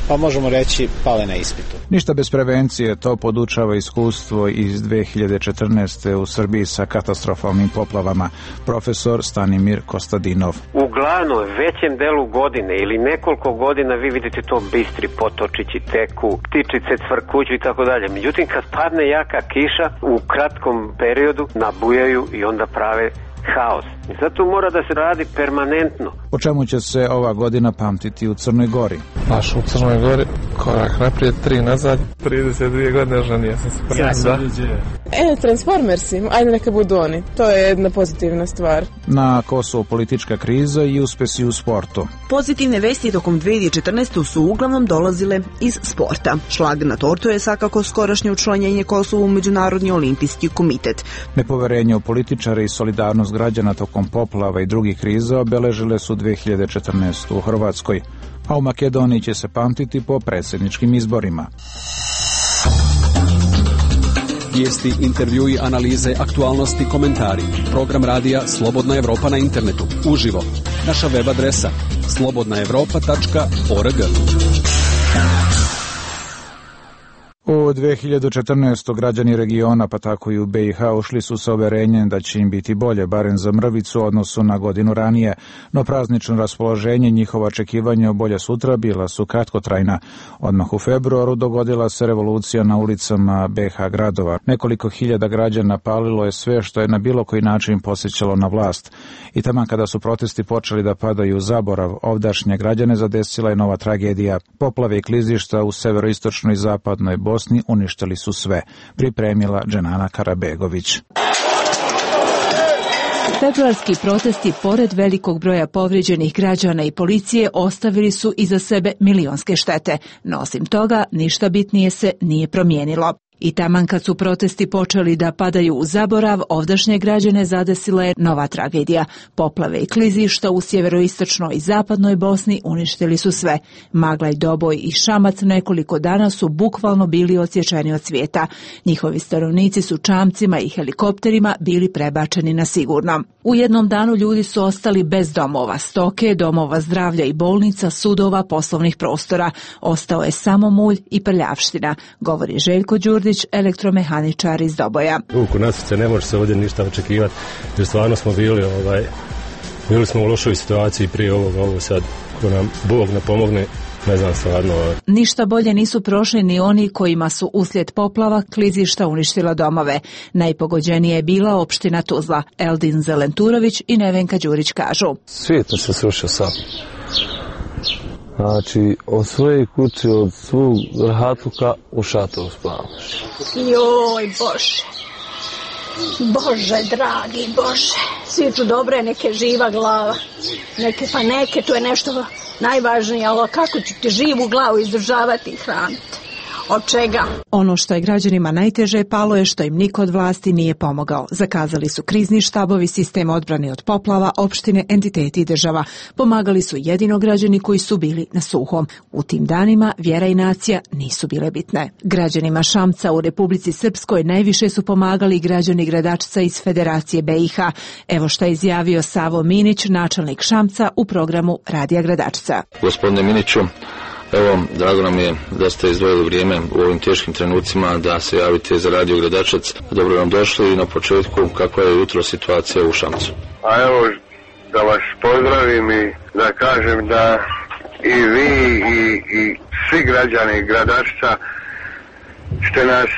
pa možemo reći, pale na ispitu. Ništa bez prevencije, to podučava iskustvo iz dve hiljade četrnaeste. u Srbiji sa katastrofalnim poplavama. Profesor Stanimir Kostadinov. Uglavnom, većem delu godine ili nekoliko godina vi vidite to bistri potočići teku, ptičice cvrkuću i tako dalje. Međutim, kad padne jaka kiša, u kratkom periodu nabujaju i onda prave haos. I zato mora da se radi permanentno. O čemu će se ova godina pamtiti u Crnoj Gori? Baš u Crnoj Gori, korak naprijed, tri nazad, trideset dvije godine oženio sam se prvi. E, Transformersi, ajde neka budu oni. To je jedna pozitivna stvar. Na Kosovo politička kriza i uspesi u sportu. Pozitivne vesti tokom dve hiljade četrnaeste. su uglavnom dolazile iz sporta. Šlag na tortu je svakako skorašnje učlanjenje Kosova u Međunarodni olimpijski komitet. Nepoverenje u političare i solidarnost građana tokom poplava i drugih kriza obeležile su dve hiljade četrnaestu. u Hrvatskoj, a u Makedoniji će se pamtiti po predsjedničkim izborima. Vijesti, intervjui, analize, aktualnosti, komentari. Program radija Slobodna Evropa na internetu. Uživo. Naša web adresa slobodna evropa tačka org. U dve hiljade četrnaestoj. građani regiona, pa tako i u be i ha, ušli su sa uverenjem da će im biti bolje, barem za mrvicu u odnosu na godinu ranije, no praznično raspoloženje i njihova očekivanja o bolje sutra bila su kratkotrajna. Odmah u februaru dogodila se revolucija na ulicama be ha gradova. Nekoliko hiljada građana palilo je sve što je na bilo koji način posjećalo na vlast. I taman kada su protesti počeli da padaju u zaborav, ovdašnje građane zadesila je nova tragedija. Poplave i klizišta u severoistočnoj i zapadnoj Bosni uništili su sve, pripremila Dženana Karabegović. Februarski protesti, pored velikog broja povrijeđenih građana i policije, ostavili su iza sebe milionske štete, no osim toga ništa bitnije se nije promijenilo. I taman kad su protesti počeli da padaju u zaborav, ovdašnje građane zadesila je nova tragedija. Poplave i klizišta u sjeveroistočnoj i zapadnoj Bosni uništili su sve. Maglaj, Doboj i Šamac nekoliko dana su bukvalno bili odsječeni od svijeta. Njihovi stanovnici su čamcima i helikopterima bili prebačeni na sigurno. U jednom danu ljudi su ostali bez domova, stoke, domova zdravlja i bolnica, sudova, poslovnih prostora. Ostao je samo mulj i prljavština, govori Željko Đurdić, elektromehaničar iz Doboja. Ruku na srce, ne može se ovdje ništa očekivati, jer stvarno smo bili, ovaj, bili smo u lošoj situaciji prije ovoga, ovo sad, ko nam Bog ne pomogne, Ne znam stvarno. Ništa bolje nisu prošli ni oni kojima su uslijed poplava klizišta uništila domove. Najpogođenija je bila opština Tuzla. Eldin Zelenturović i Nevenka Đurić kažu. Svijet se srušio sam. Znači, od svoje kuće, od svog rahatuka u šatoru spavaš. Joj, Bože. Bože, dragi Bože. Svi tu dobre, neke živa glava. Neke pa neke, to je nešto najvažnije, ali kako ću ti živu glavu izdržavati i hraniti? Od čega? Ono što je građanima najteže palo je što im niko od vlasti nije pomogao. Zakazali su krizni štabovi, sistem odbrane od poplava, opštine, entiteti i država. Pomagali su jedino građani koji su bili na suhom. U tim danima vjera i nacija nisu bile bitne. Građanima Šamca u Republici Srpskoj najviše su pomagali građani Gradačca iz Federacije B i H. Evo šta je izjavio Savo Minić, načelnik Šamca u programu Radija Gradačca. Gospodine Miniću, evo, drago nam je da ste izdvojili vrijeme u ovim teškim trenucima da se javite za Radio Gradačac. Dobro nam došli i na početku kakva je jutro situacija u Šamcu. A evo da vas pozdravim i da kažem da i vi i, i svi građani Gradačca ste nas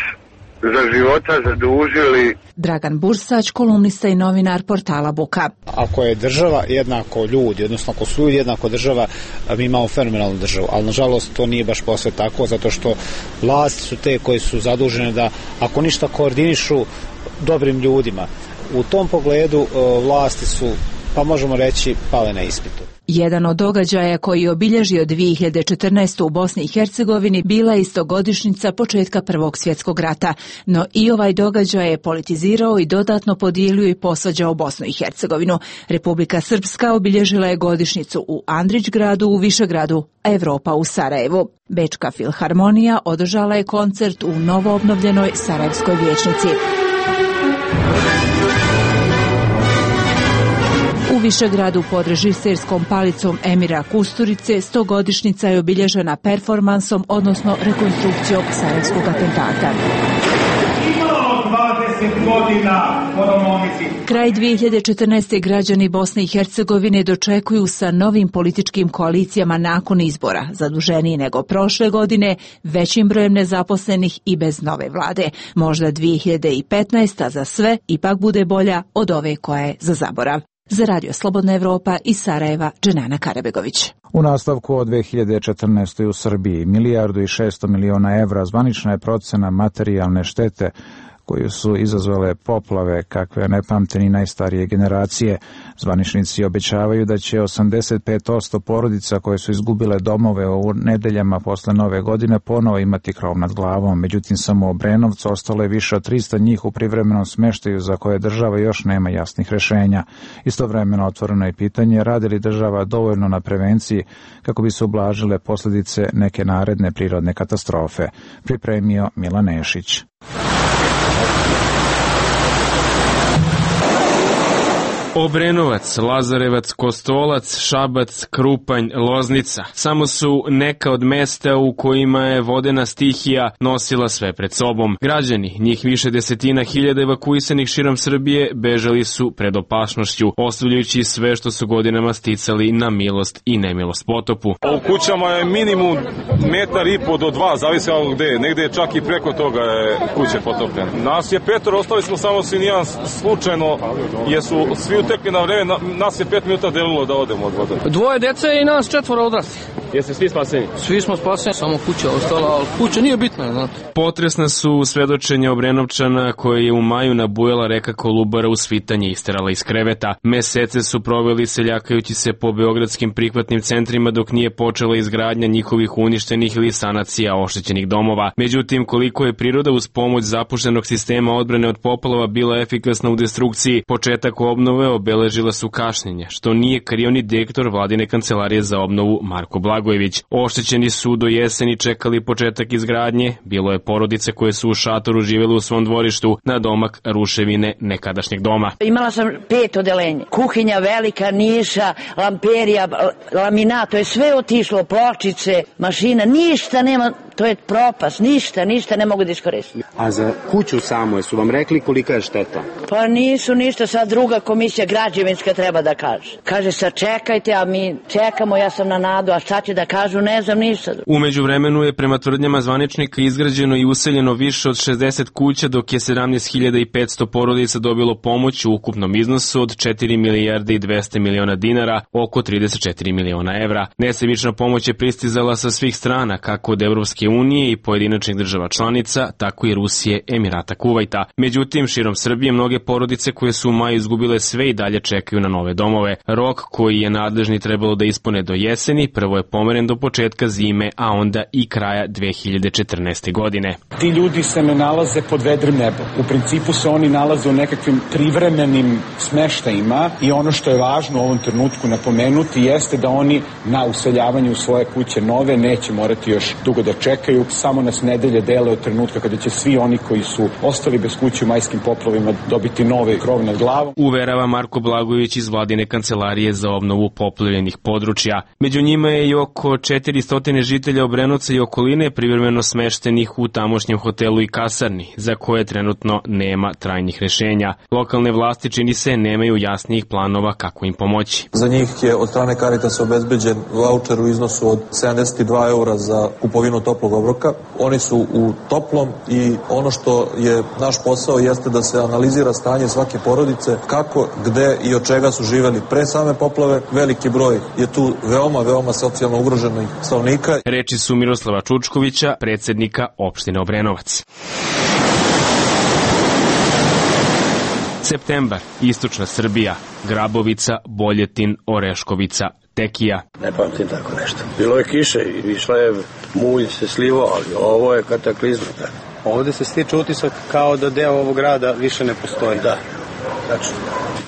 za života zadužili. Dragan Bursać, kolumnista i novinar portala Buka. Ako je država jednako ljudi, odnosno ako su ljudi jednako država, mi imamo fenomenalnu državu, ali nažalost to nije baš posve tako, zato što vlasti su te koje su zadužene da, ako ništa, koordinišu dobrim ljudima. U tom pogledu vlasti su, pa možemo reći, pale na ispitu. Jedan od događaja koji je obilježio dvije hiljade četrnaeste. u Bosni i Hercegovini bila je istogodišnjica početka Prvog svjetskog rata, no i ovaj događaj je politizirao i dodatno podijelio i posvađao Bosnu i Hercegovinu. Republika Srpska obilježila je godišnjicu u Andrićgradu, u Višegradu, a Evropa u Sarajevu. Bečka filharmonija održala je koncert u novoobnovljenoj Sarajevskoj vijećnici. U Višegradu pod režiserskom palicom Emira Kusturice stogodišnjica je obilježena performansom, odnosno rekonstrukcijom sarajevskog atentata. Kraj dvije hiljade četrnaeste. građani Bosne i Hercegovine dočekuju sa novim političkim koalicijama nakon izbora, zaduženiji nego prošle godine, većim brojem nezaposlenih i bez nove vlade. Možda dvije hiljade petnaesta. za sve ipak bude bolja od ove koja je za zaborav. Za Radio Slobodna Evropa iz Sarajeva, Dženana Karabegović. U nastavku od dvije hiljade četrnaeste. u Srbiji milijardu i šesto miliona evra zvanična je procena materijalne štete koju su izazvale poplave kakve ne pamte ni najstarije generacije. Zvaničnici obećavaju da će osamdeset pet posto porodica koje su izgubile domove u nedeljama posle nove godine ponovo imati krov nad glavom. Međutim, samo u Obrenovcu ostalo je više od trista njih u privremenom smeštaju za koje država još nema jasnih rešenja. Istovremeno otvoreno je pitanje radi li država dovoljno na prevenciji kako bi se ublažile posljedice neke naredne prirodne katastrofe. Pripremio Milan Nešić. Obrenovac, Lazarevac, Kostolac, Šabac, Krupanj, Loznica. Samo su neka od mesta u kojima je vodena stihija nosila sve pred sobom. Građani, njih više desetina hiljada evakuisanih širom Srbije, bežali su pred opasnošću, ostavljajući sve što su godinama sticali na milost i nemilost potopu. U kućama je minimum metar i po do dva, zavisi od gde. Negde je čak i preko toga je kuće potopljene. Nas je petoro, ostali smo samo sinijan slučajno, jesu svi utekli na vreme, nas je pet minuta delilo da odemo od vode. Dvoje dece i nas četvora odrasli. Jeste svi spaseni? Svi smo spaseni, samo kuća ostala, ali kuća nije bitna, znate. Potresna su svedočenja Obrenovčana koje je u maju nabujala reka Kolubara u svitanje isterala iz kreveta. Mesece su proveli seljakajući se po beogradskim prihvatnim centrima dok nije počela izgradnja njihovih uništenih ili sanacija oštećenih domova. Međutim, koliko je priroda uz pomoć zapuštenog sistema odbrane od poplava bila efikasna u destrukciji, početak obnove obeležila su kašnjenja, što nije krio ni direktor vladine kancelarije za obnovu Marko Blagojević. Oštećeni su do jeseni čekali početak izgradnje, bilo je porodice koje su u šatoru živjeli u svom dvorištu na domak ruševine nekadašnjeg doma. Imala sam pet odelenja, kuhinja velika, niša, lamperija, laminat, to je sve otišlo, pločice, mašina, ništa nema, To je propast, ništa, ništa ne mogu da iskoristim. A za kuću samo, su vam rekli kolika je šteta? Pa nisu ništa, sad druga komisija građevinska treba da kaže. Kaže sad čekajte, a mi čekamo, ja sam na nadu, a šta će da kažu, ne znam ništa. U međuvremenu je prema tvrdnjama zvaničnika izgrađeno i useljeno više od šezdeset kuća, dok je sedamnaest hiljada petsto porodica dobilo pomoć u ukupnom iznosu od četiri milijarde i dvesta miliona dinara, oko trideset četiri miliona evra. Nesebična pomoć je pristizala sa svih strana, kako od Evropske unije i pojedinačnih država članica, tako i Rusije, Emirata, Kuvajta. Međutim, širom Srbije mnoge porodice koje su u maju izgubile sve i dalje čekaju na nove domove. Rok koji je nadležni trebalo da ispune do jeseni, prvo je pomeren do početka zime, a onda i kraja dve hiljade četrnaeste. godine. Ti ljudi se ne nalaze pod vedrim nebom. U principu se oni nalaze u nekakvim privremenim smeštajima i ono što je važno u ovom trenutku napomenuti jeste da oni na useljavanje u svoje kuće nove neće morati još dugo da čekaju. Samo nas nedelje dele od trenutka kada će svi oni koji su ostali bez kuće u majskim poplavima dobiti nove krov nad glavom. Uverava Marko Blagojević iz vladine kancelarije za obnovu poplavljenih područja. Među njima je i oko četiristo žitelja Obrenovca i okoline privremeno smeštenih u tamošnjem hotelu i kasarni, za koje trenutno nema trajnih rešenja. Lokalne vlasti, čini se, nemaju jasnijih planova kako im pomoći. Za njih je od strane Caritasa obezbeđen vaučer u iznosu od sedamdeset dva eura za kupovinu toplog obroka. Oni su u toplom i ono što je naš posao jeste da se analizira stanje svake porodice, kako, gde i od čega su živeli pre same poplave. Veliki broj je tu veoma, veoma socijalno ugroženih stanovnika. Reči su Miroslava Čučkovića, predsednika opštine Obrenovac. Septembar, istočna Srbija, Grabovica, Boljetin, Oreškovica, Tekija. Ne pamtim tako nešto. Bilo je kiše i išla je, mulj se slivo, ali ovo je kataklizma. Ovde se stiče utisak kao da deo ovog grada više ne postoji. Da, znači,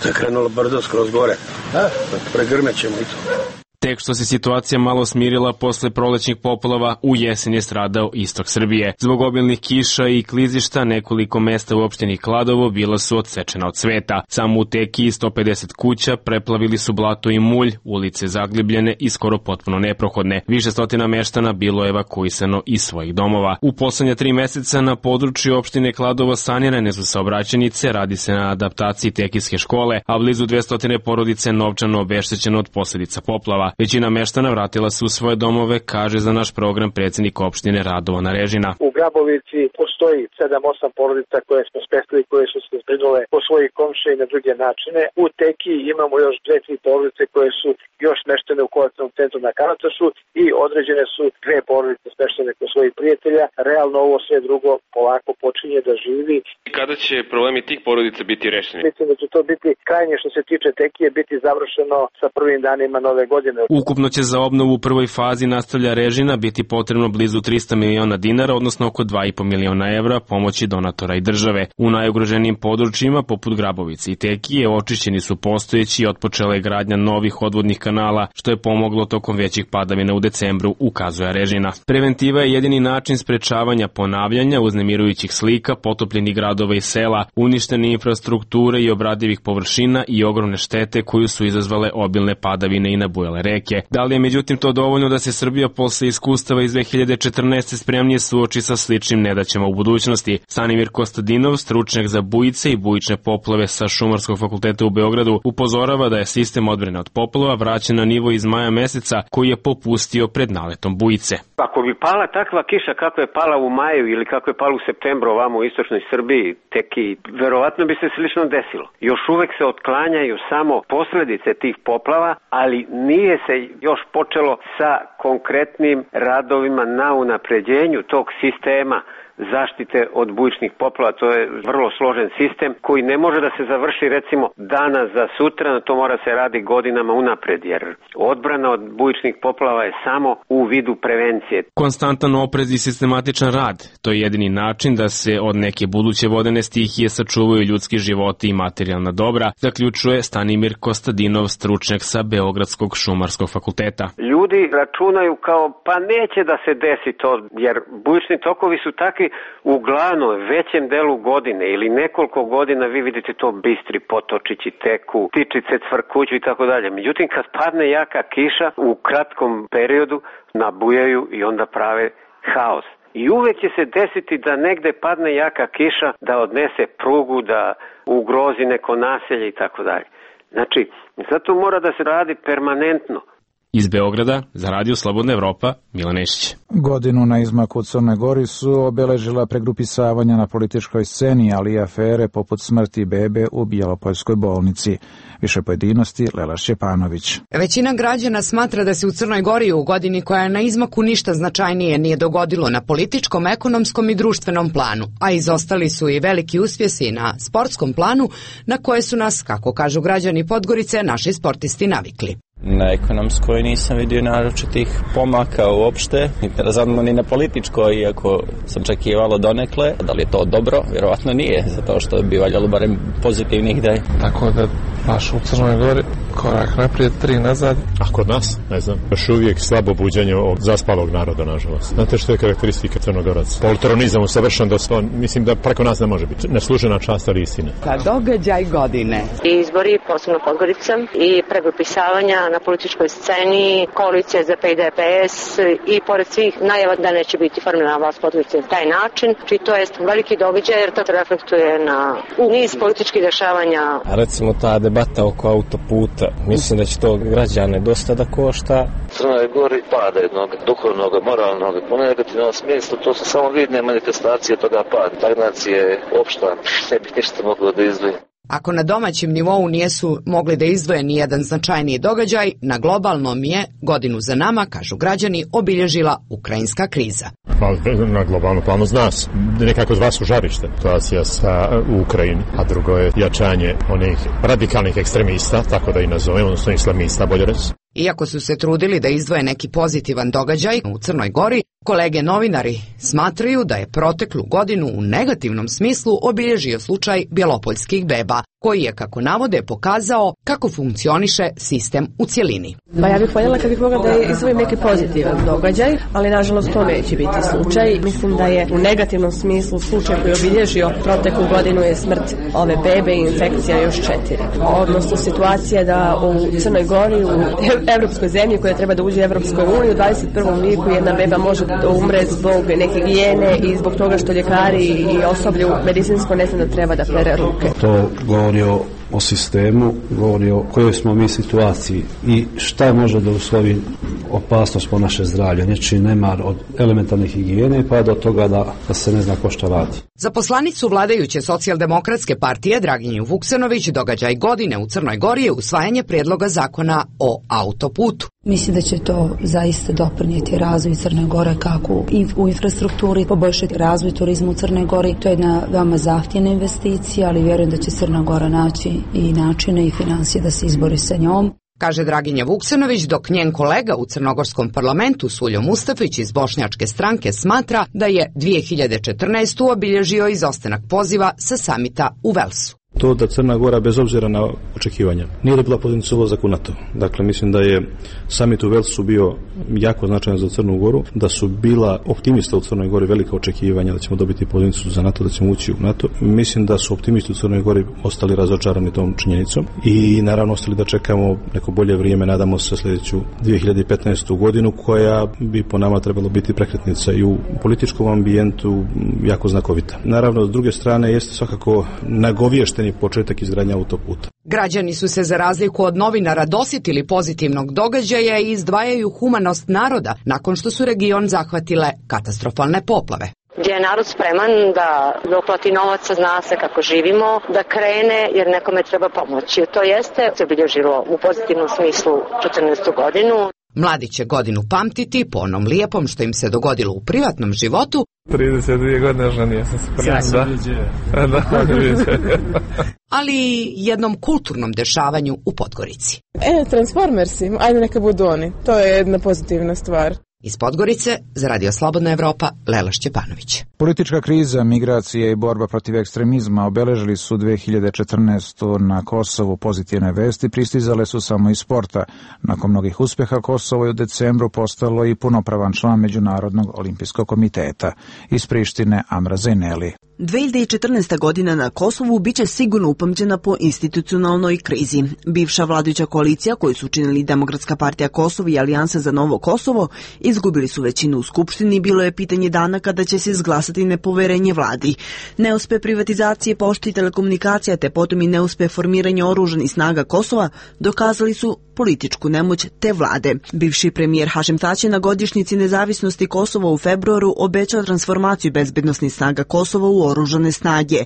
to je krenulo brdo skroz gore. Da, pregrmećemo i to. Tek što se situacija malo smirila posle prolećnih poplava, u jesen je stradao istok Srbije. Zbog obilnih kiša i klizišta nekoliko mesta u opštini Kladovo bila su odsečena od sveta. Samo u Tekiji sto pedeset kuća preplavili su blato i mulj, ulice zaglibljene i skoro potpuno neprohodne. Više stotina meštana bilo je evakuisano iz svojih domova. U poslednja tri meseca na području opštine Kladovo sanirane su saobraćajnice, radi se na adaptaciji tekijske škole, a blizu dvesta porodice novčano obeštećeno od posledica poplava. Većina meštana vratila se u svoje domove, kaže za naš program predsjednik opštine Radovan Arežina. U Grabovici postoji sedam osam porodica koje smo spestili, koje su se zbrinule po svojih komšija i na druge načine. U Tekiji imamo još dve, tri porodice koje su još smeštene u kovačnom centru na Kanatašu i određene su dve porodice smeštene kod svojih prijatelja. Realno ovo sve drugo polako počinje da živi. Kada će problemi tih porodica biti rešeni? Mislim da će to biti krajnje što se tiče Tekije biti završeno sa prvim danima nove godine. Ukupno će za obnovu u prvoj fazi, nastavlja Režina, biti potrebno blizu trista miliona dinara, odnosno oko dva i po miliona evra pomoći donatora i države. U najugroženijim područjima, poput Grabovice i Tekije, očišćeni su postojeći i otpočela je gradnja novih odvodnih kanala, što je pomoglo tokom većih padavina u decembru, ukazuje Režina. Preventiva je jedini način sprečavanja ponavljanja uznemirujućih slika, potopljenih gradova i sela, uništene infrastrukture i obradivih površina i ogromne štete koju su izazvale obilne padavine i nabujale reke. Da li je međutim to dovoljno da se Srbija posle iskustava iz dve hiljade četrnaeste. spremnije suoči sa sličnim nedaćama u budućnosti? Stanimir Kostadinov, stručnjak za bujice i bujične poplave sa Šumarskog fakulteta u Beogradu, upozorava da je sistem odbrane od poplava vraćen na nivo iz maja meseca koji je popustio pred naletom bujice. Ako bi pala takva kiša kako je pala u maju ili kako je pala u septembru ovamo u istočnoj Srbiji, Tekiji, verovatno bi se slično desilo. Još uvek se otklanjaju samo posledice tih poplava, ali nije se još počelo sa konkretnim radovima na unapređenju tog sistema zaštite od bujičnih poplava. To je vrlo složen sistem koji ne može da se završi recimo danas za sutra, to mora se radi godinama unapred, jer odbrana od bujičnih poplava je samo u vidu prevencije. Konstantan oprez i sistematičan rad, to je jedini način da se od neke buduće vodene stihije sačuvaju ljudski životi i materijalna dobra, zaključuje Stanimir Kostadinov, stručnjak sa Beogradskog šumarskog fakulteta. Ljudi računaju kao pa neće da se desi to, jer bujični tokovi su takvi uglavnom većem delu godine ili nekoliko godina vi vidite to bistri potočići teku, tičice cvrkuću i tako dalje. Međutim, kad padne jaka kiša u kratkom periodu nabujaju i onda prave haos. I uvek će se desiti da negde padne jaka kiša, da odnese prugu, da ugrozi neko naselje i tako dalje. Znači, zato mora da se radi permanentno. Iz Beograda, za Radio Slobodna Evropa, Milan Ešić. Godinu na izmaku u Crnoj Gori su obeležila pregrupisavanja na političkoj sceni, ali i afere poput smrti bebe u Bjelopoljskoj bolnici. Više pojedinosti Lela Šćepanović. Većina građana smatra da se u Crnoj Gori u godini koja je na izmaku ništa značajnije nije dogodilo na političkom, ekonomskom i društvenom planu, a izostali su i veliki uspjesi na sportskom planu na koje su nas, kako kažu građani Podgorice, naši sportisti navikli. Na ekonomskoj nisam vidio naročitih pomaka uopšte, razadno ni na političkoj, iako sam očekivalo donekle. Da li je to dobro? Vjerovatno nije, zato što bi valjalo barem pozitivnih da je. Tako da baš u Crnoj Gori korak naprijed, tri nazad. A kod nas, ne znam, još uvijek slabo buđenje od zaspalog naroda, nažalost. Znate što je karakteristika Crnogoraca? Poltronizam usavršen do sto, mislim da preko nas ne može biti. Neslužena čast, ali istina. Ka događaj godine. I izbori, posebno Podgorica, i pregrupisavanja na političkoj sceni, koalicija Z P i D P S i pored svih najava da neće biti formirana vlast Podgorice na taj način. Či to je veliki događaj jer to reflektuje na niz političkih dešavanja. A recimo ta debata oko autoputa, mislim da će to građane dosta da košta. Crnoj Gori pada jednog duhovnog, moralnog, u negativnom smislu, to su samo vidne manifestacije toga pada. Stagnacija je opšta, ne bi ništa moglo da izdvoji. Ako na domaćem nivou nijesu mogli da izdvoje ni jedan značajniji događaj, na globalnom je godinu za nama, kažu građani, obilježila ukrajinska kriza. Na globalnom planu zna se, nekako dva su žarište, situacija sa Ukrajini, a drugo je jačanje onih radikalnih ekstremista, tako da i nazovem, odnosno islamista, bolje reći. Iako su se trudili da izdvoje neki pozitivan događaj u Crnoj Gori, kolege novinari smatraju da je proteklu godinu u negativnom smislu obilježio slučaj bjelopoljskih beba, koji je, kako navode, pokazao kako funkcioniše sistem u cjelini. Pa ja bih voljela kad bih mogla da izdvojim neki pozitivan događaj, ali nažalost to neće biti slučaj. Mislim da je u negativnom smislu slučaj koji je obilježio proteklu godinu je smrt ove bebe i infekcija još četiri. Odnosno situacija da u Crnoj Gori, u evropskoj zemlji koja treba da uđe u Evropskoj uniji, u dvadeset prvom vijeku jedna beba može da umre zbog neke higijene i zbog toga što ljekari i osoblje medicinsko ne zna da treba da pere ruke. To govori o, o sistemu, govori o kojoj smo mi situaciji i šta može da uslovi opasnost po naše zdravlje. Znači nemar od elementarne higijene pa do toga da, da se ne zna ko šta radi. Za poslanicu vladajuće socijaldemokratske partije Draginju Vuksanović događaj godine u Crnoj Gori je usvajanje predloga zakona o autoputu. Mislim da će to zaista doprinijeti razvoj Crne Gore kako u infrastrukturi, poboljšati razvoj turizma u Crnoj Gori. To je jedna veoma zahtjevna investicija, ali vjerujem da će Crna Gora naći i načine i financije da se izbori sa njom. Kaže Draginja Vuksanović, dok njen kolega u crnogorskom parlamentu Suljo Mustafić iz Bošnjačke stranke smatra da je dvije hiljade četrnaestu obilježio izostanak poziva sa samita u Velsu. To da Crna Gora, bez obzira na očekivanja, nije dobila poziciju ulazak u NATO. Dakle, mislim da je samit u Velsu bio jako značajan za Crnu Goru, da su bila optimista u Crnoj Gori velika očekivanja da ćemo dobiti poziciju za NATO, da ćemo ući u NATO. Mislim da su optimisti u Crnoj Gori ostali razočarani tom činjenicom i naravno ostali da čekamo neko bolje vrijeme, nadamo se sljedeću dvije hiljade petnaestu godinu koja bi po nama trebalo biti prekretnica i u političkom ambijentu jako znakovita. Naravno, s druge strane jeste svakako nagovješteni početak izgradnje autoputa. Građani su se za razliku od novinara dosjetili pozitivnog događaja i izdvajaju humanost naroda nakon što su region zahvatile katastrofalne poplave. Gdje je narod spreman da doplati novaca, zna se kako živimo, da krene jer nekome treba pomoći. To jeste se obilježilo u pozitivnom smislu četrnaestu godinu. Mladi će godinu pamtiti po onom lijepom što im se dogodilo u privatnom životu. trideset dvije godine ženio sam se prema. Da, da, ali i jednom kulturnom dešavanju u Podgorici. E, Transformersi, ajde neka budu oni. To je jedna pozitivna stvar. Iz Podgorice, za Radio Slobodna Evropa, Lela Šćepanović. Politička kriza, migracije i borba protiv ekstremizma obeležili su dvije hiljade četrnaestu na Kosovu. Pozitivne vesti pristizale su samo iz sporta. Nakon mnogih uspjeha Kosovo je u decembru postalo i punopravan član Međunarodnog olimpijskog komiteta. Iz Prištine Amra Zejneli. dve hiljade četrnaesta. godina na Kosovu biće sigurno upamćena po institucionalnoj krizi. Bivša vladajuća koalicija koju su činili Demokratska partija Kosova i Alijansa za novo Kosovo izgubili su većinu u Skupštini i bilo je pitanje dana kada će se izglasati nepoverenje vladi. Neuspe privatizacije pošte i telekomunikacija te potom i neuspe formiranje oružanih snaga Kosova dokazali su političku nemoć te vlade. Bivši premijer Hašim Tači na godišnjici nezavisnosti Kosova u februaru obećao transformaciju bezbednosnih snaga Kosova u oružane snage.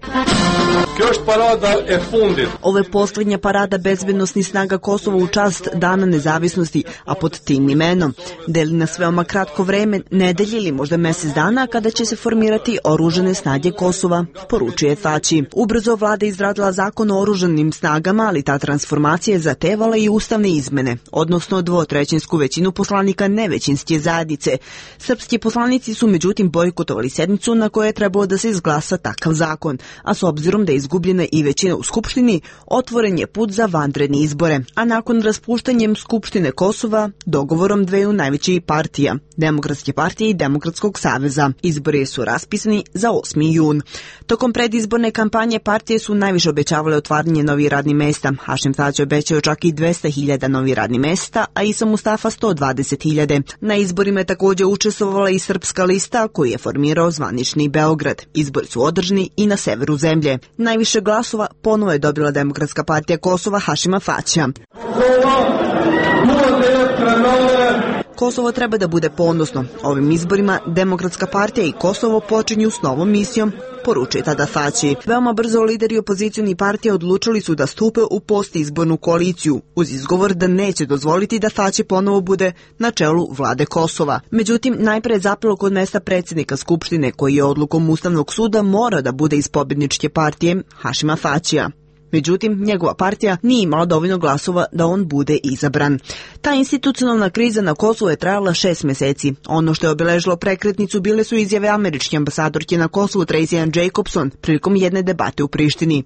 Ovo je posljednja parada bezbednosnih snaga Kosova u čast Dana nezavisnosti, a pod tim imenom deli nas veoma kratko vreme, nedelje ili možda mjesec dana kada će se formirati oružane snage Kosova, poručuje Tači. Ubrzo vlada izradila zakon o oružanim snagama, ali ta transformacija je zatevala i ustavne izmene, odnosno dvotrećinsku većinu poslanika nevećinske zajednice. Srpski poslanici su međutim bojkotovali sednicu na kojoj je trebalo da se izglasa takav zakon, a s obzirom da je izgubljena i većina u Skupštini, otvoren je put za vanredne izbore. A nakon raspuštanjem Skupštine Kosova, dogovorom dveju najvećih partija, Demokratske partije i Demokratskog saveza, izbori su raspisani za osmi jun. Tokom predizborne kampanje partije su najviše obećavale otvaranje novih radnih mesta. Hašim Tači obećao čak i dvesta hiljada novih radnih mesta, a Isa Mustafa sto dvadeset hiljada. Na izborima je također učestvovala i Srpska lista koju je formirao zvanični Beograd. Izbori su održani i na severu zemlje. Najviše glasova ponovo je dobila Demokratska partija Kosova Hašima Tačija. Kosovo treba da bude ponosno. Ovim izborima Demokratska partija i Kosovo počinju s novom misijom, poručuje tada Tači. Veoma brzo lideri opozicijoni partija odlučili su da stupe u postizbornu koaliciju, uz izgovor da neće dozvoliti da Tači ponovo bude na čelu vlade Kosova. Međutim, najpre je zapelo kod mesta predsjednika Skupštine, koji je odlukom Ustavnog suda mora da bude iz pobjedničke partije Hašima Tačija. Međutim, njegova partija nije imala dovoljno glasova da on bude izabran. Ta institucionalna kriza na Kosovu je trajala šest mjeseci. Ono što je obeležilo prekretnicu bile su izjave američke ambasadorke na Kosovu Tracy Ann Jacobson prilikom jedne debate u Prištini.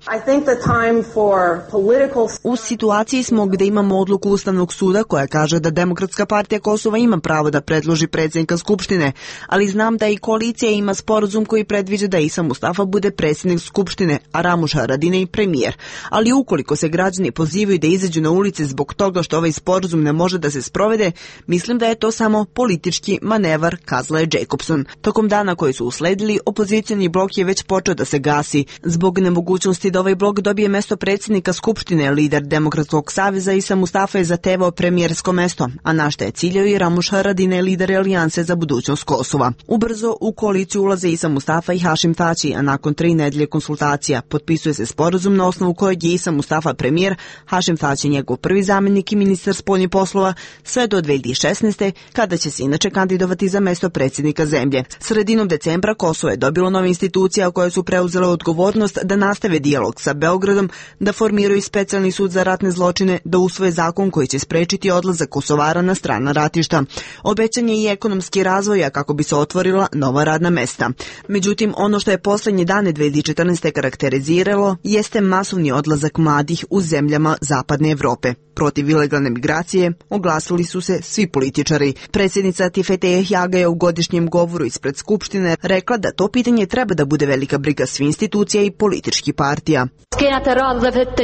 Political... U situaciji smo gdje imamo odluku Ustavnog suda koja kaže da Demokratska partija Kosova ima pravo da predloži predsjednika Skupštine, ali znam da i koalicija ima sporazum koji predviđa da Isa Mustafa bude predsjednik Skupštine, a Ramuš Haradinaj premijer. Ali ukoliko se građani pozivaju da izađu na ulice zbog toga što ovaj sporazum ne može da se sprovede, mislim da je to samo politički manevar, kazala je Jacobson. Tokom dana koji su usledili, opozicioni blok je već počeo da se gasi. Zbog nemogućnosti da ovaj blok dobije mesto predsjednika Skupštine, lider Demokratskog saveza Isa Mustafa je zatevao premijersko mesto, a na šta je ciljao i Ramuš Haradinaj, lider Alijanse za budućnost Kosova. Ubrzo u koaliciju ulaze Isa Mustafa i Hašim Tači, a nakon tri nedelje konsultacija potpisuje se sporazum na osnovu kojeg je Isa Mustafa premijer, Hašim Tači njegov prvi zamjenik i ministar spoljnih poslova, sve do dve hiljade šesnaeste. kada će se inače kandidovati za mesto predsjednika zemlje. Sredinom decembra Kosovo je dobilo nove institucije koje su preuzele odgovornost da nastave dijalog sa Beogradom, da formiraju specijalni sud za ratne zločine, da usvoje zakon koji će sprečiti odlazak Kosovara na strana ratišta. Obećan je i ekonomski razvoj kako bi se otvorila nova radna mesta. Međutim, ono što je posljednje dane dve hiljade četrnaeste. karakteriziralo jeste masovni odlazak mladih u zemljama Zapadne Evrope. Protiv ilegalne migracije oglasili su se svi političari. Predsjednica Tifete Jahjaga je u godišnjem govoru ispred Skupštine rekla da to pitanje treba da bude velika briga svih institucija i političkih partija.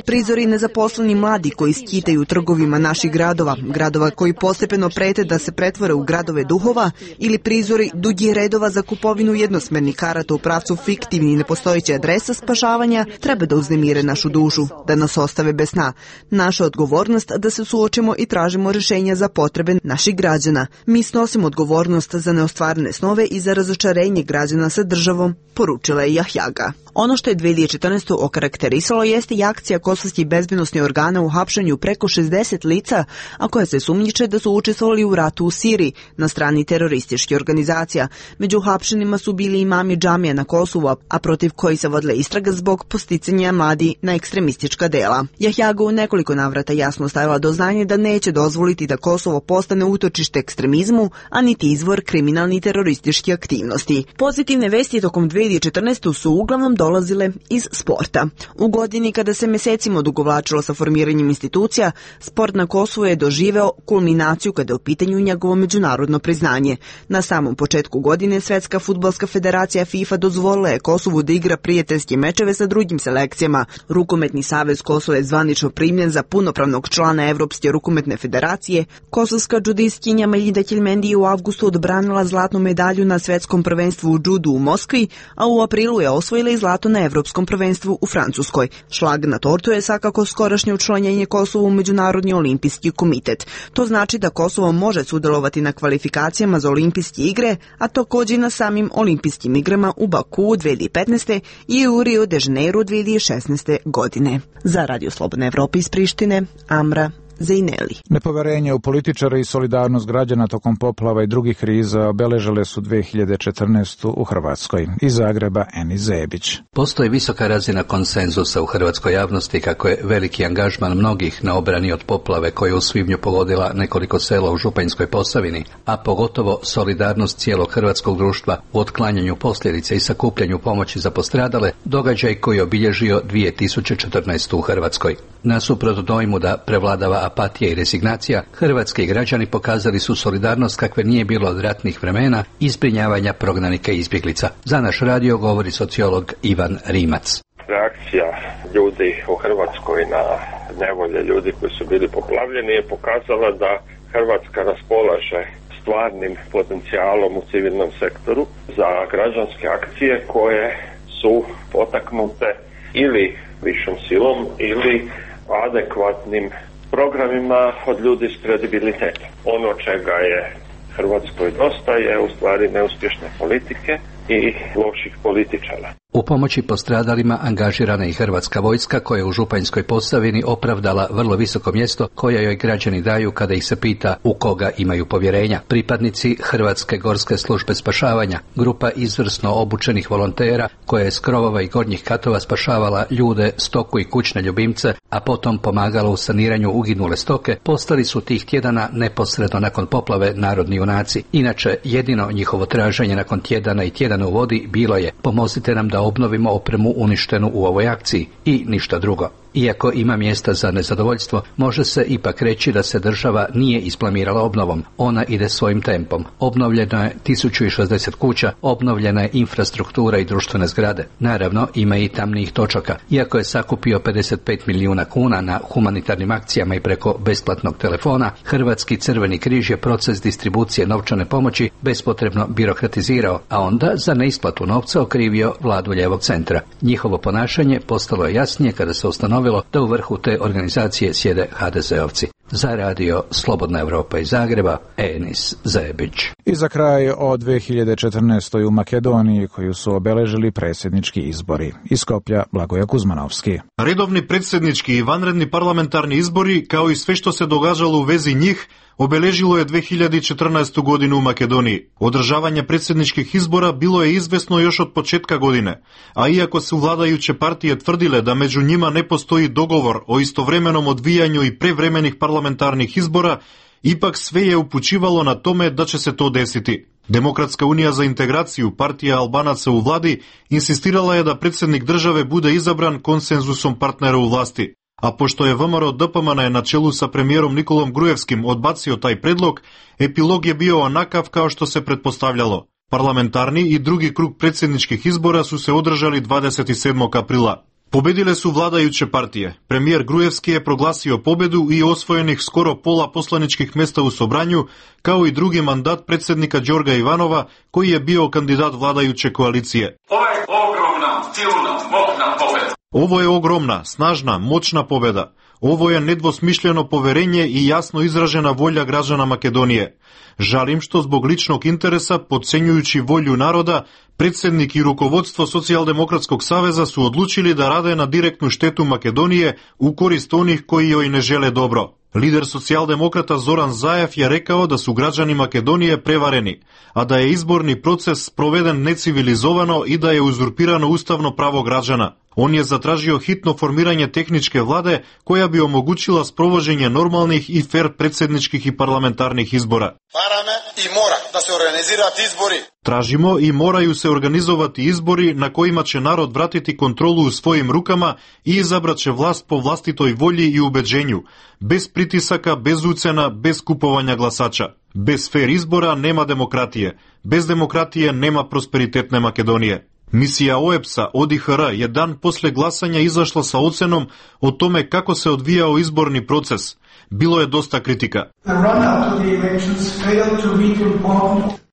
Prizori nezaposleni mladi koji skitaju u trgovima naših gradova, gradova koji postepeno prete da se pretvore u gradove duhova, ili prizori dugih redova za kupovinu jednosmernih karata u pravcu fiktivnih nepostojeće adresa spašavanja treba da uznemire našu dušu, da nas ostave bez sna. Naša odgovornost da se suočimo i tražimo rješenja za potrebe naših građana. Mi snosimo odgovornost za neostvarene snove i za razočarenje građana sa državom, poručila je Jahjaga. Ono što je dve hiljade četrnaeste. okarakterisalo jeste i akcija kosovskih bezbednosnih organa u hapšenju preko šezdeset lica, a koja se sumnjiče da su učestvovali u ratu u Siriji na strani terorističkih organizacija. Među hapšenima su bili imami džamija na Kosovu, a protiv koji se vodila istraga zbog posticanja mladi na ekstremistička dela. Jahjaga u nekoliko navrata jasno stavila do znanja da neće dozvoliti da Kosovo postane utočište ekstremizmu, a niti izvor kriminalni i teroristički aktivnosti. Pozitivne vesti tokom dve hiljade četrnaeste. su uglavnom dolazile iz sporta. U godini kada se mesecima odugovlačilo sa formiranjem institucija, sport na Kosovu je doživeo kulminaciju kada je u pitanju njegovo međunarodno priznanje. Na samom početku godine Svetska fudbalska federacija FIFA dozvolila je Kosovu da igra prijateljske mečeve sa drugim selekcijama. Rukometni savez Kosova je zvanično primljen za punopravnog člana Evropske rukometne federacije. Kosovska džudistkinja Meljida Ćelmendi je u avgustu odbranila zlatnu medalju na svetskom prvenstvu u džudu u Moskvi, a u aprilu je osvojila i zlato na Evropskom prvenstvu u Francuskoj. Šlag na tortu je svakako skorašnje učlanjenje Kosova u Međunarodni olimpijski komitet. To znači da Kosovo može sudjelovati na kvalifikacijama za olimpijske igre, a također i na samim olimpijskim igrama u Baku u dve hiljade petnaeste. i u Rio de Janeiro dve hiljade šesnaeste. godine. Za Radio Slobodna Evropa iz Prištine, Amra Zejneli. Nepoverenje u političare i solidarnost građana tokom poplava i drugih kriza obeležile su dve hiljade četrnaestu. u Hrvatskoj. Iz Zagreba Enis Zebić. Postoji visoka razina konsenzusa u hrvatskoj javnosti kako je veliki angažman mnogih na obrani od poplave koja je u svibnju pogodila nekoliko sela u Županjskoj Posavini, a pogotovo solidarnost cijelog hrvatskog društva u otklanjanju posljedica i sakupljanju pomoći za postradale, događaj koji je obilježio dvije tisuće četrnaestu. u Hrvatskoj. Nasuprot dojmu da prevladava apatija i rezignacija, hrvatski građani pokazali su solidarnost kakve nije bilo od ratnih vremena i zbrinjavanja prognanika i izbjeglica. Za naš radio govori sociolog Ivan Rimac. Reakcija ljudi u Hrvatskoj na nevolje ljudi koji su bili poplavljeni je pokazala da Hrvatska raspolaže stvarnim potencijalom u civilnom sektoru za građanske akcije koje su potaknute ili višom silom ili adekvatnim programima od ljudi s kredibilitetom. Ono čega je Hrvatskoj dosta je u stvari neuspješne politike i loših političara. U pomoći postradalima angažirana i hrvatska vojska koja je u Županjskoj Posavini opravdala vrlo visoko mjesto koje joj građani daju kada ih se pita u koga imaju povjerenja. Pripadnici Hrvatske gorske službe spašavanja, grupa izvrsno obučenih volontera koja je s krovova i gornjih katova spašavala ljude, stoku i kućne ljubimce, a potom pomagala u saniranju uginule stoke, postali su tih tjedana neposredno nakon poplave narodni junaci. Inače, jedino njihovo traženje nakon tjedana i tjedana u vodi bilo je: pomozite nam da obnovimo opremu uništenu u ovoj akciji, i ništa drugo. Iako ima mjesta za nezadovoljstvo, može se ipak reći da se država nije isplamirala obnovom. Ona ide svojim tempom. Obnovljeno je tisuću šezdeset kuća, obnovljena je infrastruktura i društvene zgrade. Naravno, ima i tamnijih točaka. Iako je sakupio pedeset pet milijuna kuna na humanitarnim akcijama i preko besplatnog telefona, Hrvatski crveni križ je proces distribucije novčane pomoći bespotrebno birokratizirao, a onda za neisplatu novca okrivio vladu lijevog centra. Njihovo ponašanje postalo je jasnije kada se ustanovilo da u vrhu te organizacije sjede ha de zeovci. Za radio Slobodna Evropa iz Zagreba, Enis Zebić. I za kraj o dve hiljade četrnaestoj. u Makedoniji koju su obeležili predsjednički izbori. Iz Skoplja Blagoje Kuzmanovski. Redovni predsjednički i vanredni parlamentarni izbori, kao i sve što se događalo u vezi njih, obeležilo je dve hiljade četrnaestu. godinu u Makedoniji. Održavanje predsjedničkih izbora bilo je izvesno još od početka godine, a iako su vladajuće partije tvrdile da među njima ne postoji dogovor o istovremenom odvijanju i prevremenih parlamentarnih izbora, ipak sve je upućivalo na tome da će se to desiti. Demokratska unija za integraciju, partija Albanaca u vladi, insistirala je da predsjednik države bude izabran konsenzusom partnera u vlasti. A pošto je V M R O D P M N na čelu sa premijerom Nikolom Grujevskim odbacio taj predlog, epilog je bio onakav kao što se pretpostavljalo. Parlamentarni i drugi krug predsjedničkih izbora su se održali dvadeset sedmog aprila. Pobedile su vladajuće partije. Premijer Grujevski je proglasio pobedu i osvojenih skoro pola poslaničkih mjesta u Sobranju, kao i drugi mandat predsjednika Đorga Ivanova, koji je bio kandidat vladajuće koalicije. Ovo je ogromna, silna, moćna pobeda. Ovo je ogromna, snažna, moćna pobjeda. Ovo je nedvosmišljeno poverenje i jasno izražena volja građana Makedonije. Žalim što zbog ličnog interesa, podcenjujući volju naroda, predsjednik i rukovodstvo Socijaldemokratskog saveza su odlučili da rade na direktnu štetu Makedonije u korist onih koji joj ne žele dobro. Lider socijaldemokrata Zoran Zajev je rekao da su građani Makedonije prevareni, a da je izborni proces proveden necivilizovano i da je uzurpirano ustavno pravo građana. On je zatražio hitno formiranje tehničke vlade koja bi omogućila sprovođenje normalnih i fer predsjedničkih i parlamentarnih izbora. Parame i mora da se organizirati izbori. Tražimo i moraju se organizovati izbori na kojima će narod vratiti kontrolu u svojim rukama i izabrat će vlast po vlastitoj volji i ubeđenju, bez pritisaka, bez ucena, bez kupovanja glasača. Bez fer izbora nema demokratije, bez demokratije nema prosperitetne Makedonije. Misija O E B S-a O D I H R je dan posle glasanja izašla sa ocenom o tome kako se odvijao izborni proces. Bilo je dosta kritika.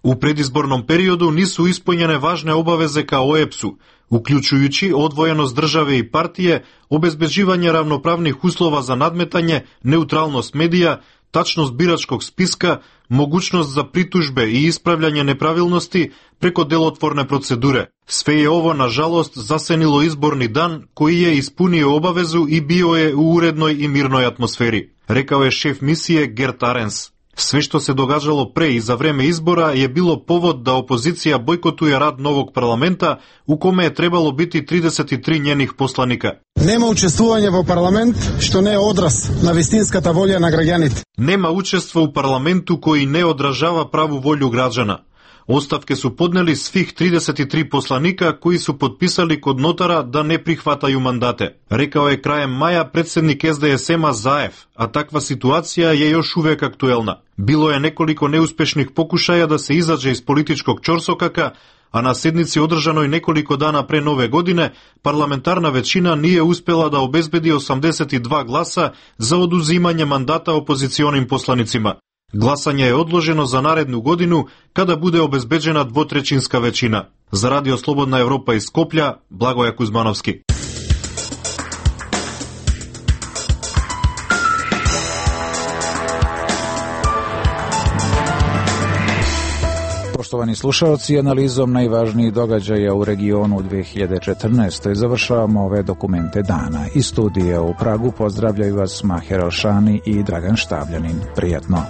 U predizbornom periodu nisu ispunjene važne obaveze ka O E B S-u, uključujući odvojenost države i partije, obezbeđivanje ravnopravnih uslova za nadmetanje, neutralnost medija, tačnost biračkog spiska, mogućnost za pritužbe i ispravljanje nepravilnosti preko delotvorne procedure. Sve je ovo, nažalost, zasenilo izborni dan koji je ispunio obavezu i bio je u urednoj i mirnoj atmosferi, rekao je šef misije Gert Arens. Sve što se događalo pre i za vreme izbora je bilo povod da opozicija bojkotuje rad novog parlamenta u kome je trebalo biti trideset tri njenih poslanika. Nema učestvovanja u parlament što ne je odraz na vistinskata volja na građanite. Nema učestva u parlamentu koji ne odražava pravu volju građana. Ostavke su podneli svih trideset tri poslanika koji su potpisali kod notara da ne prihvataju mandate. Rekao je krajem maja predsjednik S D S M-a Zaev, a takva situacija je još uvijek aktuelna. Bilo je nekoliko neuspešnih pokušaja da se izađe iz političkog ćorsokaka, a na sednici održanoj nekoliko dana pre nove godine parlamentarna većina nije uspjela da obezbedi osamdeset dva glasa za oduzimanje mandata opozicionim poslanicima. Glasanje je odloženo za narednu godinu kada bude obezbeđena dvotrećinska većina. Za Radio Slobodna Evropa iz Skoplja, Blagoja Kuzmanovski. Poštovani slušalci, analizom najvažnijih događaja u regionu u dve hiljade četrnaestoj završavamo ove dokumente dana. Iz studija u Pragu pozdravljaju vas Maher Alšani i Dragan Štavljanin. Prijatno.